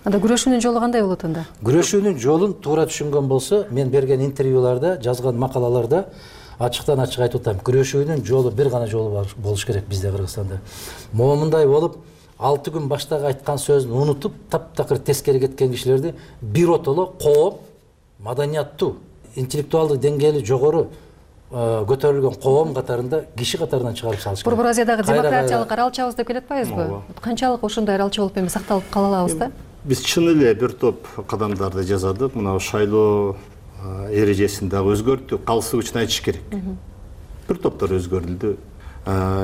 Анда күрөшүүнүн жолу кандай болот анда? Күрөшүүнүн жолун туура түшүнгөн болсо, мен берген интервьюларда, жазган макалаларда ачыктан ачык айтып атам. Күрөшүүнүн жолу бир гана жолу болуш керек бизде Кыргызстанда. Момундай болуп, алты күн баштагы айткан сөзүн унутуп, таптакыр тескери кеткен кишилерди бир отоло коом, маданияттуу, интеллектуалдык деңгээли жогору көтөрүлгөн коом катарында киши катарынан чыгарып салыш керек. Борбор Азиядагы демократиялык аралчабыз деп келип атпайбызбы? Канчалык ошондой аралча болуп эми сакталып кала алабыз да? Биз чын эле бир топ кадамдарды жасадык. Мына шайлоо эрежесин дагы өзгөрттүк. Калыстык үчүн айтыш керек. Бир топтор өзгөрүлдү.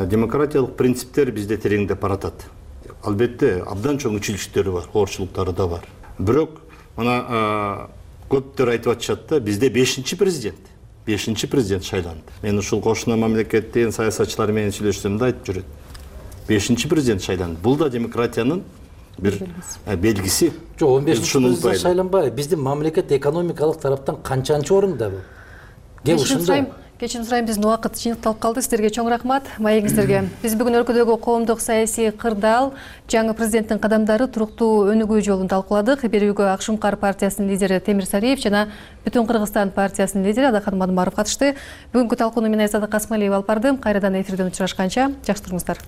Демократиялык принциптер бизде тереңдеп баратат. Албетте, абдан чоң үчүлүштөрү бар, оорчулуктары да бар. Бирок мына көптөр айтып атышат да, бизде бешинчи президент, бешинчи президент шайланды. Мен ушул кошуна мамлекеттин саясатчылары менен сүйлөшсөм да айтып жүрөт. бешинчи президент шайланды. Бул да демократиянын бир белгиси. Жок, он бешинчи президент шайланбайбы. Биздин мамлекет экономикалык тараптан канчанчы орунда бул? Кеп ушунда. Кечирим сурайм, биздин убакыт жыйынтылып калды. Сиздерге чоң рахмат, маегиңиздерге. Биз бүгүн өлкөдөгү коомдук саясий кырдаал, жаңы президенттин кадамдары туруктуу өнүгүү жолун талкууладык. Берүүгө Ак Шумкар партиясынын лидери Темир Сариев жана Бүтүн Кыргызстан партиясынын лидери Адахан Мадумаров катышты. Бүгүнкү талкууну мен Айзада Касмалиева алып бардым. Кайрадан эфирден учурашканча жакшы туруңуздар.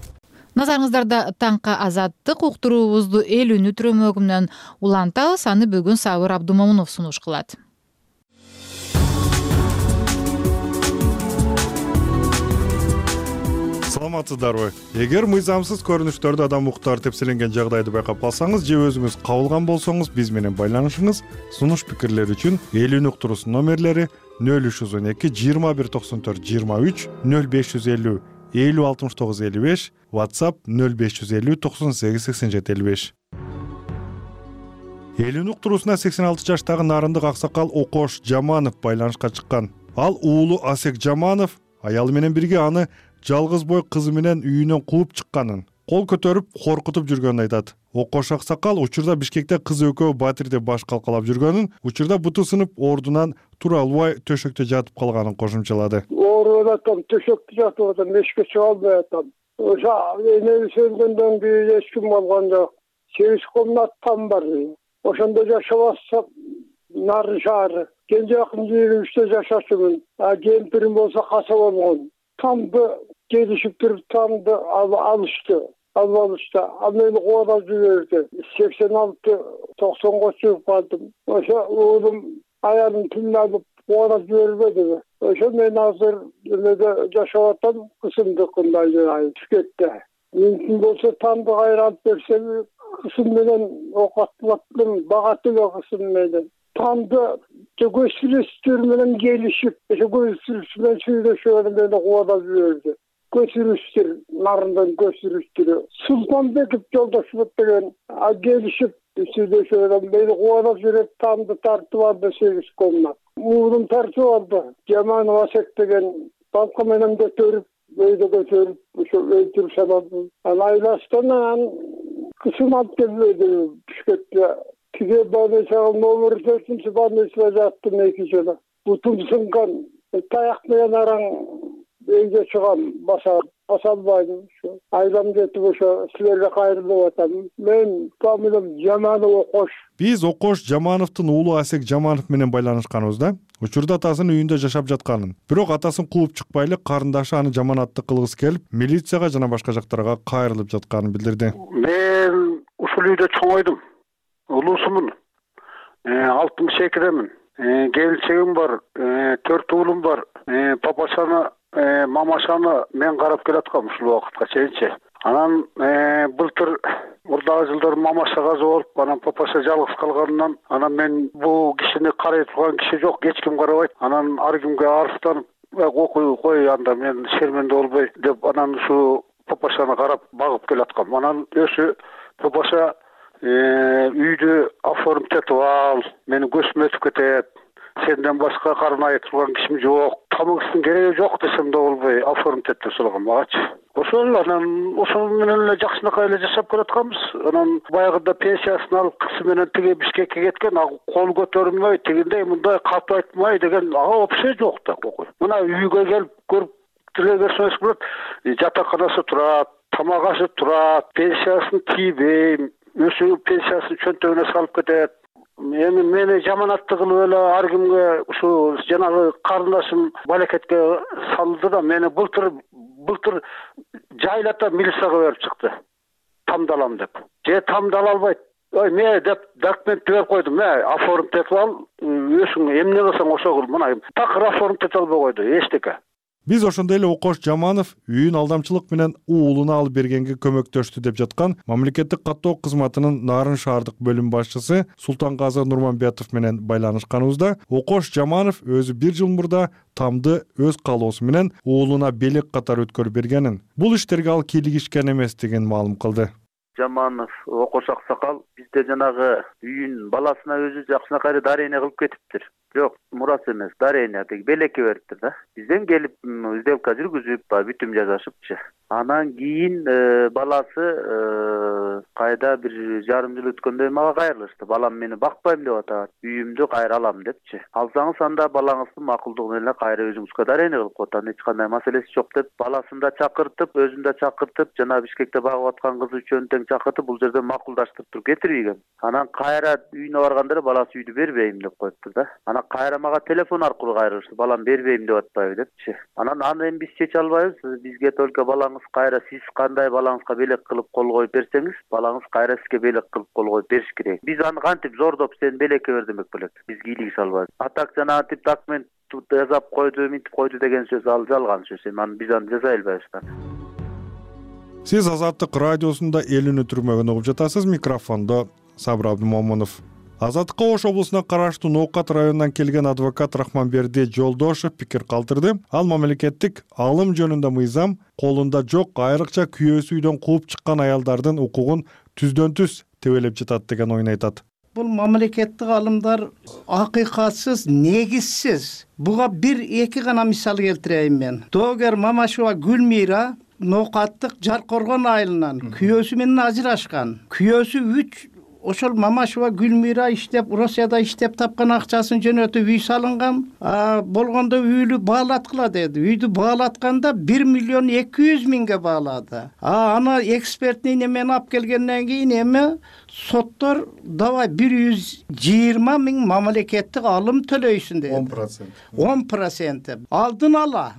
Назарыңыздарда таңкы азаттык уктуруубузду эл үнү түрөмөгү менен улантабыз. Аны бүгүн Сабыр Абдумомунов сунуш кылат. Саламатсыздарбы? Эгер мыйзамсыз көрүнүштөрдү адам укуктары тепселенген жагдайды байкап калсаңыз же өзүңүз кабылган болсоңуз, биз менен байланышыңыз. Сунуш пикирлер үчүн эл үнү уктуруусунун номерлери нөл үч жүз он эки жыйырма бир токсон төрт жыйырма үч, нөл беш жүз элүү элүү алтымыш тогуз элүү беш, WhatsApp нөл беш жүз элүү токсон сегиз сексен жети элүү беш. Эл үнү уктуруусуна сексен алты жаштагы нарындык аксакал Окош Жаманов байланышка чыккан. Ал уулу Асек Жаманов аялы менен бирге аны жалгыз бой кызы менен үйүнөн кууп чыкканын, кол көтөрүп коркутуп жүргөнүн айтат. Окош аксакал учурда Бишкекте кызы экөө Батирде баш калкалап жүргөнүн, учурда буту сынып ордунан тура албай төшөктө жатып калганын кошумчалады. Ооруп атам, төшөктө жатып атам, эшикке чыга албай атам. Ошо энеби сөзгөндөн кийин эч ким болгон жок. Сегиз комнаттан бар. Ошондо жашап атсам, нары шаары. Кенже акын жыйырма үчтө жашачумун. А кемпирим болсо каса болгон. Тамды келишип туруп тамды алышты. албалышта. Ал мени кубанып жиберди. сексен алты токсонго чыгып калдым. Ошо уулум аялым тилин алып кубанып жибербеди. Ошо мен азыр эмеде жашап атам, кысымдыкында жайып Түшкөттө. Мүмкүн болсо тамды кайра алып берсем, кысым менен окатлаттым, бага теле кысым менен. Тамды көчүрүштөр менен келишип, ошо көчүрүш менен сүйлөшүп мени кубанып жиберди. Көчүрүштөр, нарындан көчүрүштөр. Султанбеков жолдошубуз деген келишип сүйлөшүп мени кубанып жиберди, тамды тартып алды сегиз комнат. Уулум тартып алды. Жаманов Асек деген банка менен көтөрүп, өйдө көтөрүп, ошо өлтүрүп салды. Ал айластан кысым алып келбейди Түшкөттө. Тиге больницага номер төртүнчү больницада жаттым эки жыл. Бутум сынган, таяк менен араң үйгө чыгам, баса баса албайм. Айлам жетип ошо силерге кайрылып атам. Мен фамилиям Жаманов Окош. Биз Окош Жамановдун уулу Асек Жаманов менен байланышканыбызда учурда атасынын үйүндө жашап жатканын, бирок атасын кууп чыкпай эле карындашы аны жаманатты кылгысы келип, милицияга жана башка жактарга кайрылып жатканын билдирди. Мен ушул үйдө чоңойдум. Улуусумун. алтымыш экидемин. Келинчегим бар, төрт уулум бар. Папашаны, мамашаны мен карап келаткам ушул убакытка чейинчи. Анан былтыр мурдагы жылдары мамаша каза болуп, анан папаша жалгыз калганынан, анан мен бул кишини карай турган киши жок, эч ким карабайт. Анан ар кимге арызданып, окуй кой анда мен шерменде болбой деп, анан ушу папашаны карап багып келаткам. Анан өзү папаша үйдү оформить этип ал, мени көзүм өтүп кетет. Сенден башка карын айып турган кишим жок. Тамагыстын кереги жок десем да болбой оформить этип салган магачы. Ошол анан ошол менен эле жакшынакай эле жашап келатканбыз. Анан баягыда пенсиясын алып кызы менен тиге Бишкекке кеткен, кол көтөрүлмөй, тигиндей мындай катуу айтмай деген ага вообще жок да. Мына үйгө келип көрүп деле көрсөңүз болот. Жатаканасы турат, тамак ашы турат, пенсиясын тийбейм. Өзү пенсиясын чөнтөгүнө салып кетет. Эми мени жаманатты кылып эле ар кимге ушу жанагы карындашым балекетке салды да, мени былтыр былтыр жайлата милицияга берип чыкты. Тамдалам деп. Же тамдала албайт. Ой, мен деп документти берип койдум. Мен оформить этип ал, өзүң эмне кылсаң ошо кыл. Мына такыр оформить эте албай койду, эчтеке. Биз ошондой эле Окош Жаманов үйүн алдамчылык менен уулуна алып бергенге көмөктөштү деп жаткан мамлекеттик каттоо кызматынын Нарын шаардык бөлүм башчысы Султангазы Нурманбетов менен байланышканыбызда Окош Жаманов өзү бир жыл мурда тамды өз каалоосу менен уулуна белек катары өткөрүп бергенин, бул иштерге ал кийлигишкен эместигин маалым кылды. Жаманов Окош аксакал бизде жанагы үйүн баласына өзү жакшынакай дарение кылып кетиптир. Жок, мурас эмес, дарение деги белекке бериптир да. Бизден келип сделка жүргүзүп, бүтүм жасашыпчы. Анан кийин баласы кайда бир жарым жыл өткөндө мага кайрылышты. Балам мени бакпайм деп атат, үйүмдү кайра алам депчи. Алсаңыз анда балаңыздын макулдугу менен кайра өзүңүзгө дарение кылып коет, эч кандай маселеси жок деп, баласын да чакыртып, өзүн да чакыртып, жана Бишкекте багып аткан кызы үчүн тең чакыртып, бул жерде макулдаштырып туруп кетирбеген. Анан кайра үйүнө барганда баласы үйдү бербейм деп коюптур да. Анан кайра мага телефон аркылуу кайрылышты. Балам бербейм деп атпайбы депчи. Анан аны эми биз чече албайбыз. Бизге только балаңыз кайра, сиз кандай балаңызга белек кылып кол коюп берсеңиз, балаңыз кайра сизге белек кылып кол коюп бериш керек. Биз аны кантип зордоп сен белекке бер демек белек. Биз кийлигише албайбыз. Атак жана тип документ жазап койду, минтип койду деген сөз ал жалган сөз. Эми аны биз аны жасай албайбыз да. Сиз Азаттык радиосунда эл үнү түрмөгүн угуп жатасыз. Микрофондо Сабыр Абдымомунов. Азаттыкка Ош облусуна караштуу Ноокат районунан келген адвокат Рахманберди Жолдошев пикир калтырды. Ал мамлекеттик алым жөнүндө мыйзам колунда жок, айрыкча күйөөсү үйдөн кууп чыккан аялдардын укугун түздөн түз тебелеп жатат деген оюн айтат. Бул мамлекеттик алымдар акыйкатсыз, негизсиз. Буга бир эки гана мисал келтирейин мен. Доогер Мамашева Гүлмира Ноокаттык Жаркоргон айылынан күйөөсү менен ажырашкан. Күйөөсү үч ошол Мамашева Гүлмира иштеп, Россияда иштеп тапкан акчасын жөнөтүп үй салынган. Болгондо үйлү баалаткыла деди. Үйдү баалатканда бир миллион эки жүз миңге баалады. А аны экспертный немени алып келгенден кийин эми соттор давай бир жүз жыйырма миң мамлекеттик алым төлөйсүн деди. он процент. он процент. Алдын ала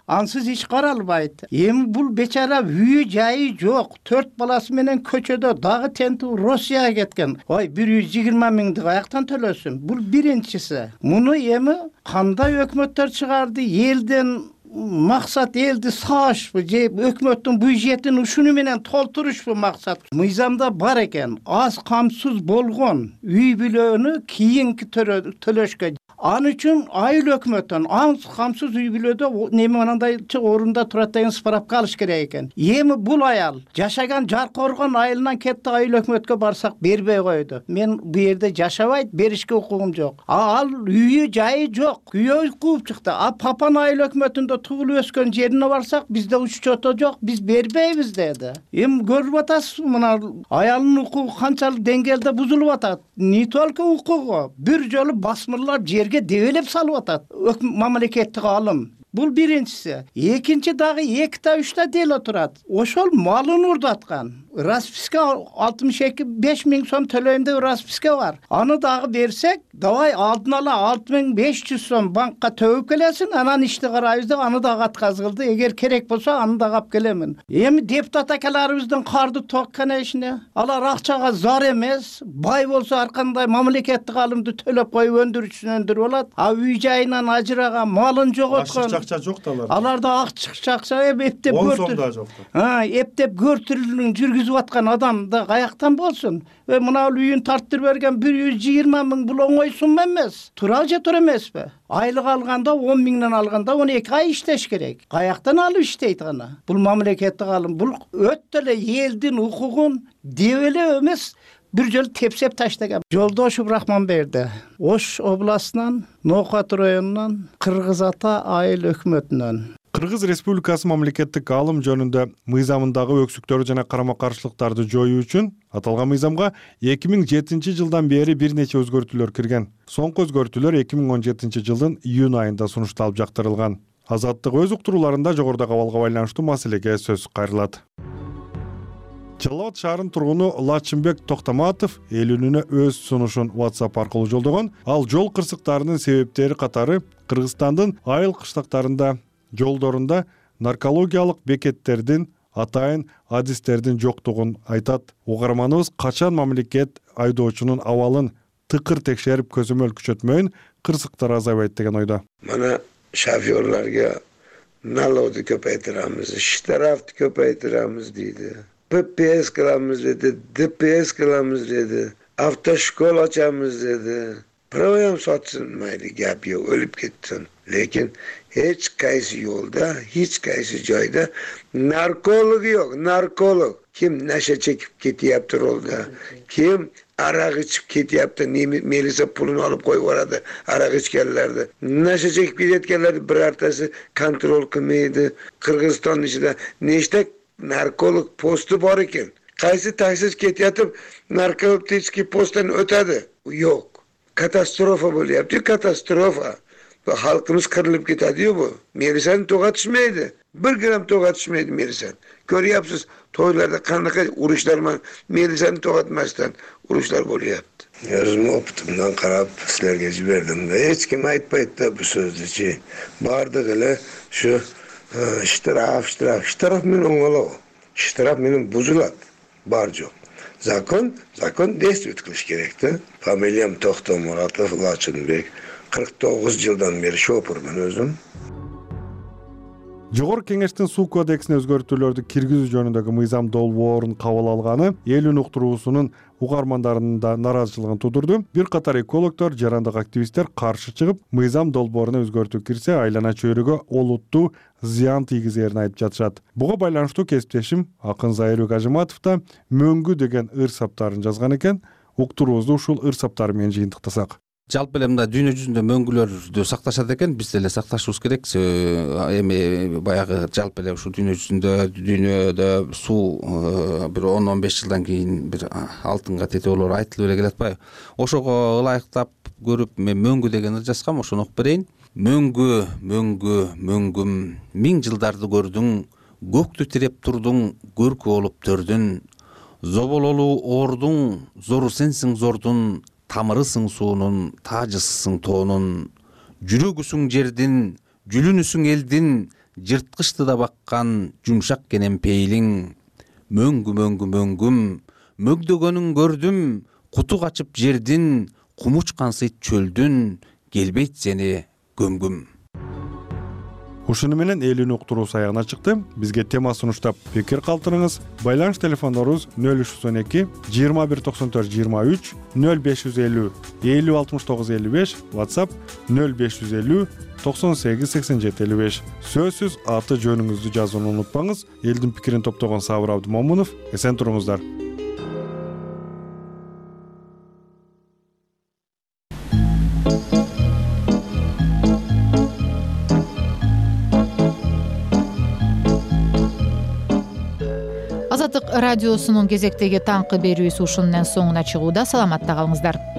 ансыз иш каралбайт. Эми бул бечара үйү жайы жок, төрт баласы менен көчөдө, дагы тентүү Россияга кеткен. Ой, бир жүз жыйырма миңди каяктан төлөсүн? Бул биринчиси. Муну эми кандай өкмөттөр чыгарды? Элден максат элди саашпы же өкмөттүн бюджетин ушуну менен толтурушпу максат? Мыйзамда бар экен, аз камсыз болгон үй бүлөнү кийинки төлөшкө. Ан үчүн айыл өкмөттөн аз камсыз үй бүлөдө неме мынандайчы орунда турат деген справка алыш керек экен. Эми бул аял жашаган Жаркоргон айылынан кетти, айыл өкмөткө барсак бербей койду. Мен бу жерде жашабайт, беришке укугум жок. Ал үйү жайы жок, күйөө кууп чыкты. А папан айыл өкмөтүндө туулуп өскөн жерине барсак бизде учето жок, биз бербейбиз деди. Эми көрүп атасыз, мына аялдын укугу канчалык деңгээлде бузулуп атат. Не только укугу, бир жолу басмырлап жерге дебелеп салып атат мамлекеттик алым. Бул биринчиси. Экинчи дагы экита үчтө дело турат. Ошол малын урдаткан. Расписка алтымыш эки беш миң сом төлөйм деп расписка бар. Аны дагы берсек, давай алдын ала алты миң беш жүз сом банкка төбүп келесин, анан ишти карайбыз деп аны дагы отказ кылды. Эгер керек болсо аны дагы алып келемин. Эми депутат акаларыбыздын карды токкан ишине, алар акчага зар эмес, бай болсо ар кандай мамлекеттик алымды төлөп коюп өндүрүүчүсүн өндүрүп алат. А үй жайынан ажыраган, малын жоготкон акча жок да аларда. Аларда акча акча эптеп көртүр. Ha, эптеп көртүрүлүн жүргүзүп аткан адам да каяктан болсун? Э, мына үйүн тартып берген бир жүз жыйырма миң бул оңой сумма эмес. Тура же тура эмеспи? Айлык алганда он миңден алганда он эки ай иштеш керек. Каяктан алып иштейт гана? Бул мамлекеттик алым, бул өтө эле элдин укугун дебелеп эмес, бир жолу тепсеп таштаган. Жолдошов Рахманберди Ош областынан, Ноокат районунан, Кыргыз Ата айыл өкмөтүнөн. Кыргыз Республикасы мамлекеттик алым жөнүндө мыйзамындагы өксүктөр жана карама-каршылыктарды жоюу үчүн аталган мыйзамга эки миң жетинчи жылдан бери бир нече өзгөртүүлөр кирген. Соңку өзгөртүүлөр эки миң он жетинчи жылдын июнь айында сунушталып жактырылган. Азаттык өз уктурууларында жогорудагы абалга байланыштуу маселеге сөз кайрылат. Жалал Абад шаарынын тургуну Лачынбек Токтоматов эл үнүнө өз сунушун WhatsApp аркылуу жолдогон. Ал жол кырсыктарынын себептери катары Кыргызстандын айыл кыштактарында, жолдорунда наркологиялык бекеттердин, атайын адистердин жоктугун айтат. Угарманыбыз качан мамлекет айдоочунун абалын тыкыр текшерип көзөмөл күчөтмөйүн кырсыктар азайбайт деген ойдо. Мана шофёрлорго налогду көпөйтүрөбүз, штрафты көпөйтүрөбүз дейди. П П С кыламыз деди, Д П С кыламыз деди, автошкола ачамыз деди. Правоям сатсын, майли гап жок, өлүп кетсин. Лекин эч кайсы жолда, эч кайсы жайда нарколог жок, нарколог. Ким наша чекип кетиптир олда, ким арак ичип кетиптир, милиция пулун алып коюп барады, арак ичкенлерди. Наша чекип кеткенлерди бир артасы контроль кылмайды. Кыргызстандын ичинде нечте нарколог посту бар экен. Кайсы таксист кетип наркотический посттан өтөдү? Жок. Катастрофа болупту, катастрофа. Халкыбыз кырылып кетеди бу. Милицияны тоготушмайды. Бир грамм тоготушмайды милицияны. Көрүпсүз, тойларда кандайкы уруштар менен милицияны тоготмастан уруштар болупту. Өзүм опытымдан карап силерге жибердим да, эч ким айтпайт да бу сөздү. Бардыгы эле ушу штраф, штраф, штраф менен оңолобу. Штраф менен бузулат. Бар жок. Закон, закон действует кылыш керек да. Фамилиям Токтомуратов Лачынбек. кырк тогуз жылдан бери шопурмун өзүм. Жогорку кеңештин суу кодексине өзгөртүүлөрдү киргизүү жөнүндөгү мыйзам долбоорун кабыл алганы эл үн уктуруусунун угармандарынын да нааразычылыгын тудурду. Бир катар экологдор, жарандык активисттер каршы чыгып, мыйзам долбооруна өзгөртүү кирсе, айлана чөйрөгө олуттуу зыян тийгизерин айтып жатышат. Буга байланыштуу кесиптешим акын Зайырбек Ажыматов да мөңгү деген ыр саптарын жазган экен. Уктуруубузду ушул ыр саптары менен жыйынтыктасак. Жалпы эле мында дүйнө жүзүндө мөңгүлөрдү сакташат экен, биз деле сакташыбыз керек. Эми баягы жалпы эле ушул дүйнө жүзүндө, дүйнөдө суу бир он он беш жылдан кийин бир алтынга тете болор айтылып эле келе атпайбы? Ошого ылайыктап көрүп мен мөңгү деген ыр жазгам, ошону окуп берейин. Мөңгү, мөңгү, мөңгүм, миң жылдарды көрдүң, көктү тиреп турдуң, көркү болуп төрдүн. Зобололуу ордуң, зору сенсиң зордун, тамырысың суунун, таажысысың тоонун. Жүрөгүсүң жердин, жүлүнүсүң элдин, жырткычты да баккан жумшак кенен пейилиң. Мөңгү мөңгү мөңгүм, мөгдөгөнүн көрдүм, куту качып жердин, кумуч кансыйт чөлдүн, келбейт сени көмгүм. Ушуну менен элүүнү уктуруусу аягына чыкты. Бизге тема сунуштап пикир калтырыңыз. Байланыш телефондорубуз нөл үч жүз он эки жыйырма бир токсон төрт жыйырма үч, нөл беш жүз элүү элүү алтымыш тогуз элүү беш, WhatsApp нөл беш жүз элүү токсон сегиз сексен жети элүү беш. Сөзсүз аты жөнүңүздү жазууну унутпаңыз. Элдин пикирин топтогон Сабыр Абдымомунов. Эсен туруңуздар. Азаттык радиосунун кезектеги таңкы берүүсү ушунун соңуна чыгууда. Саламатта калыңыздар.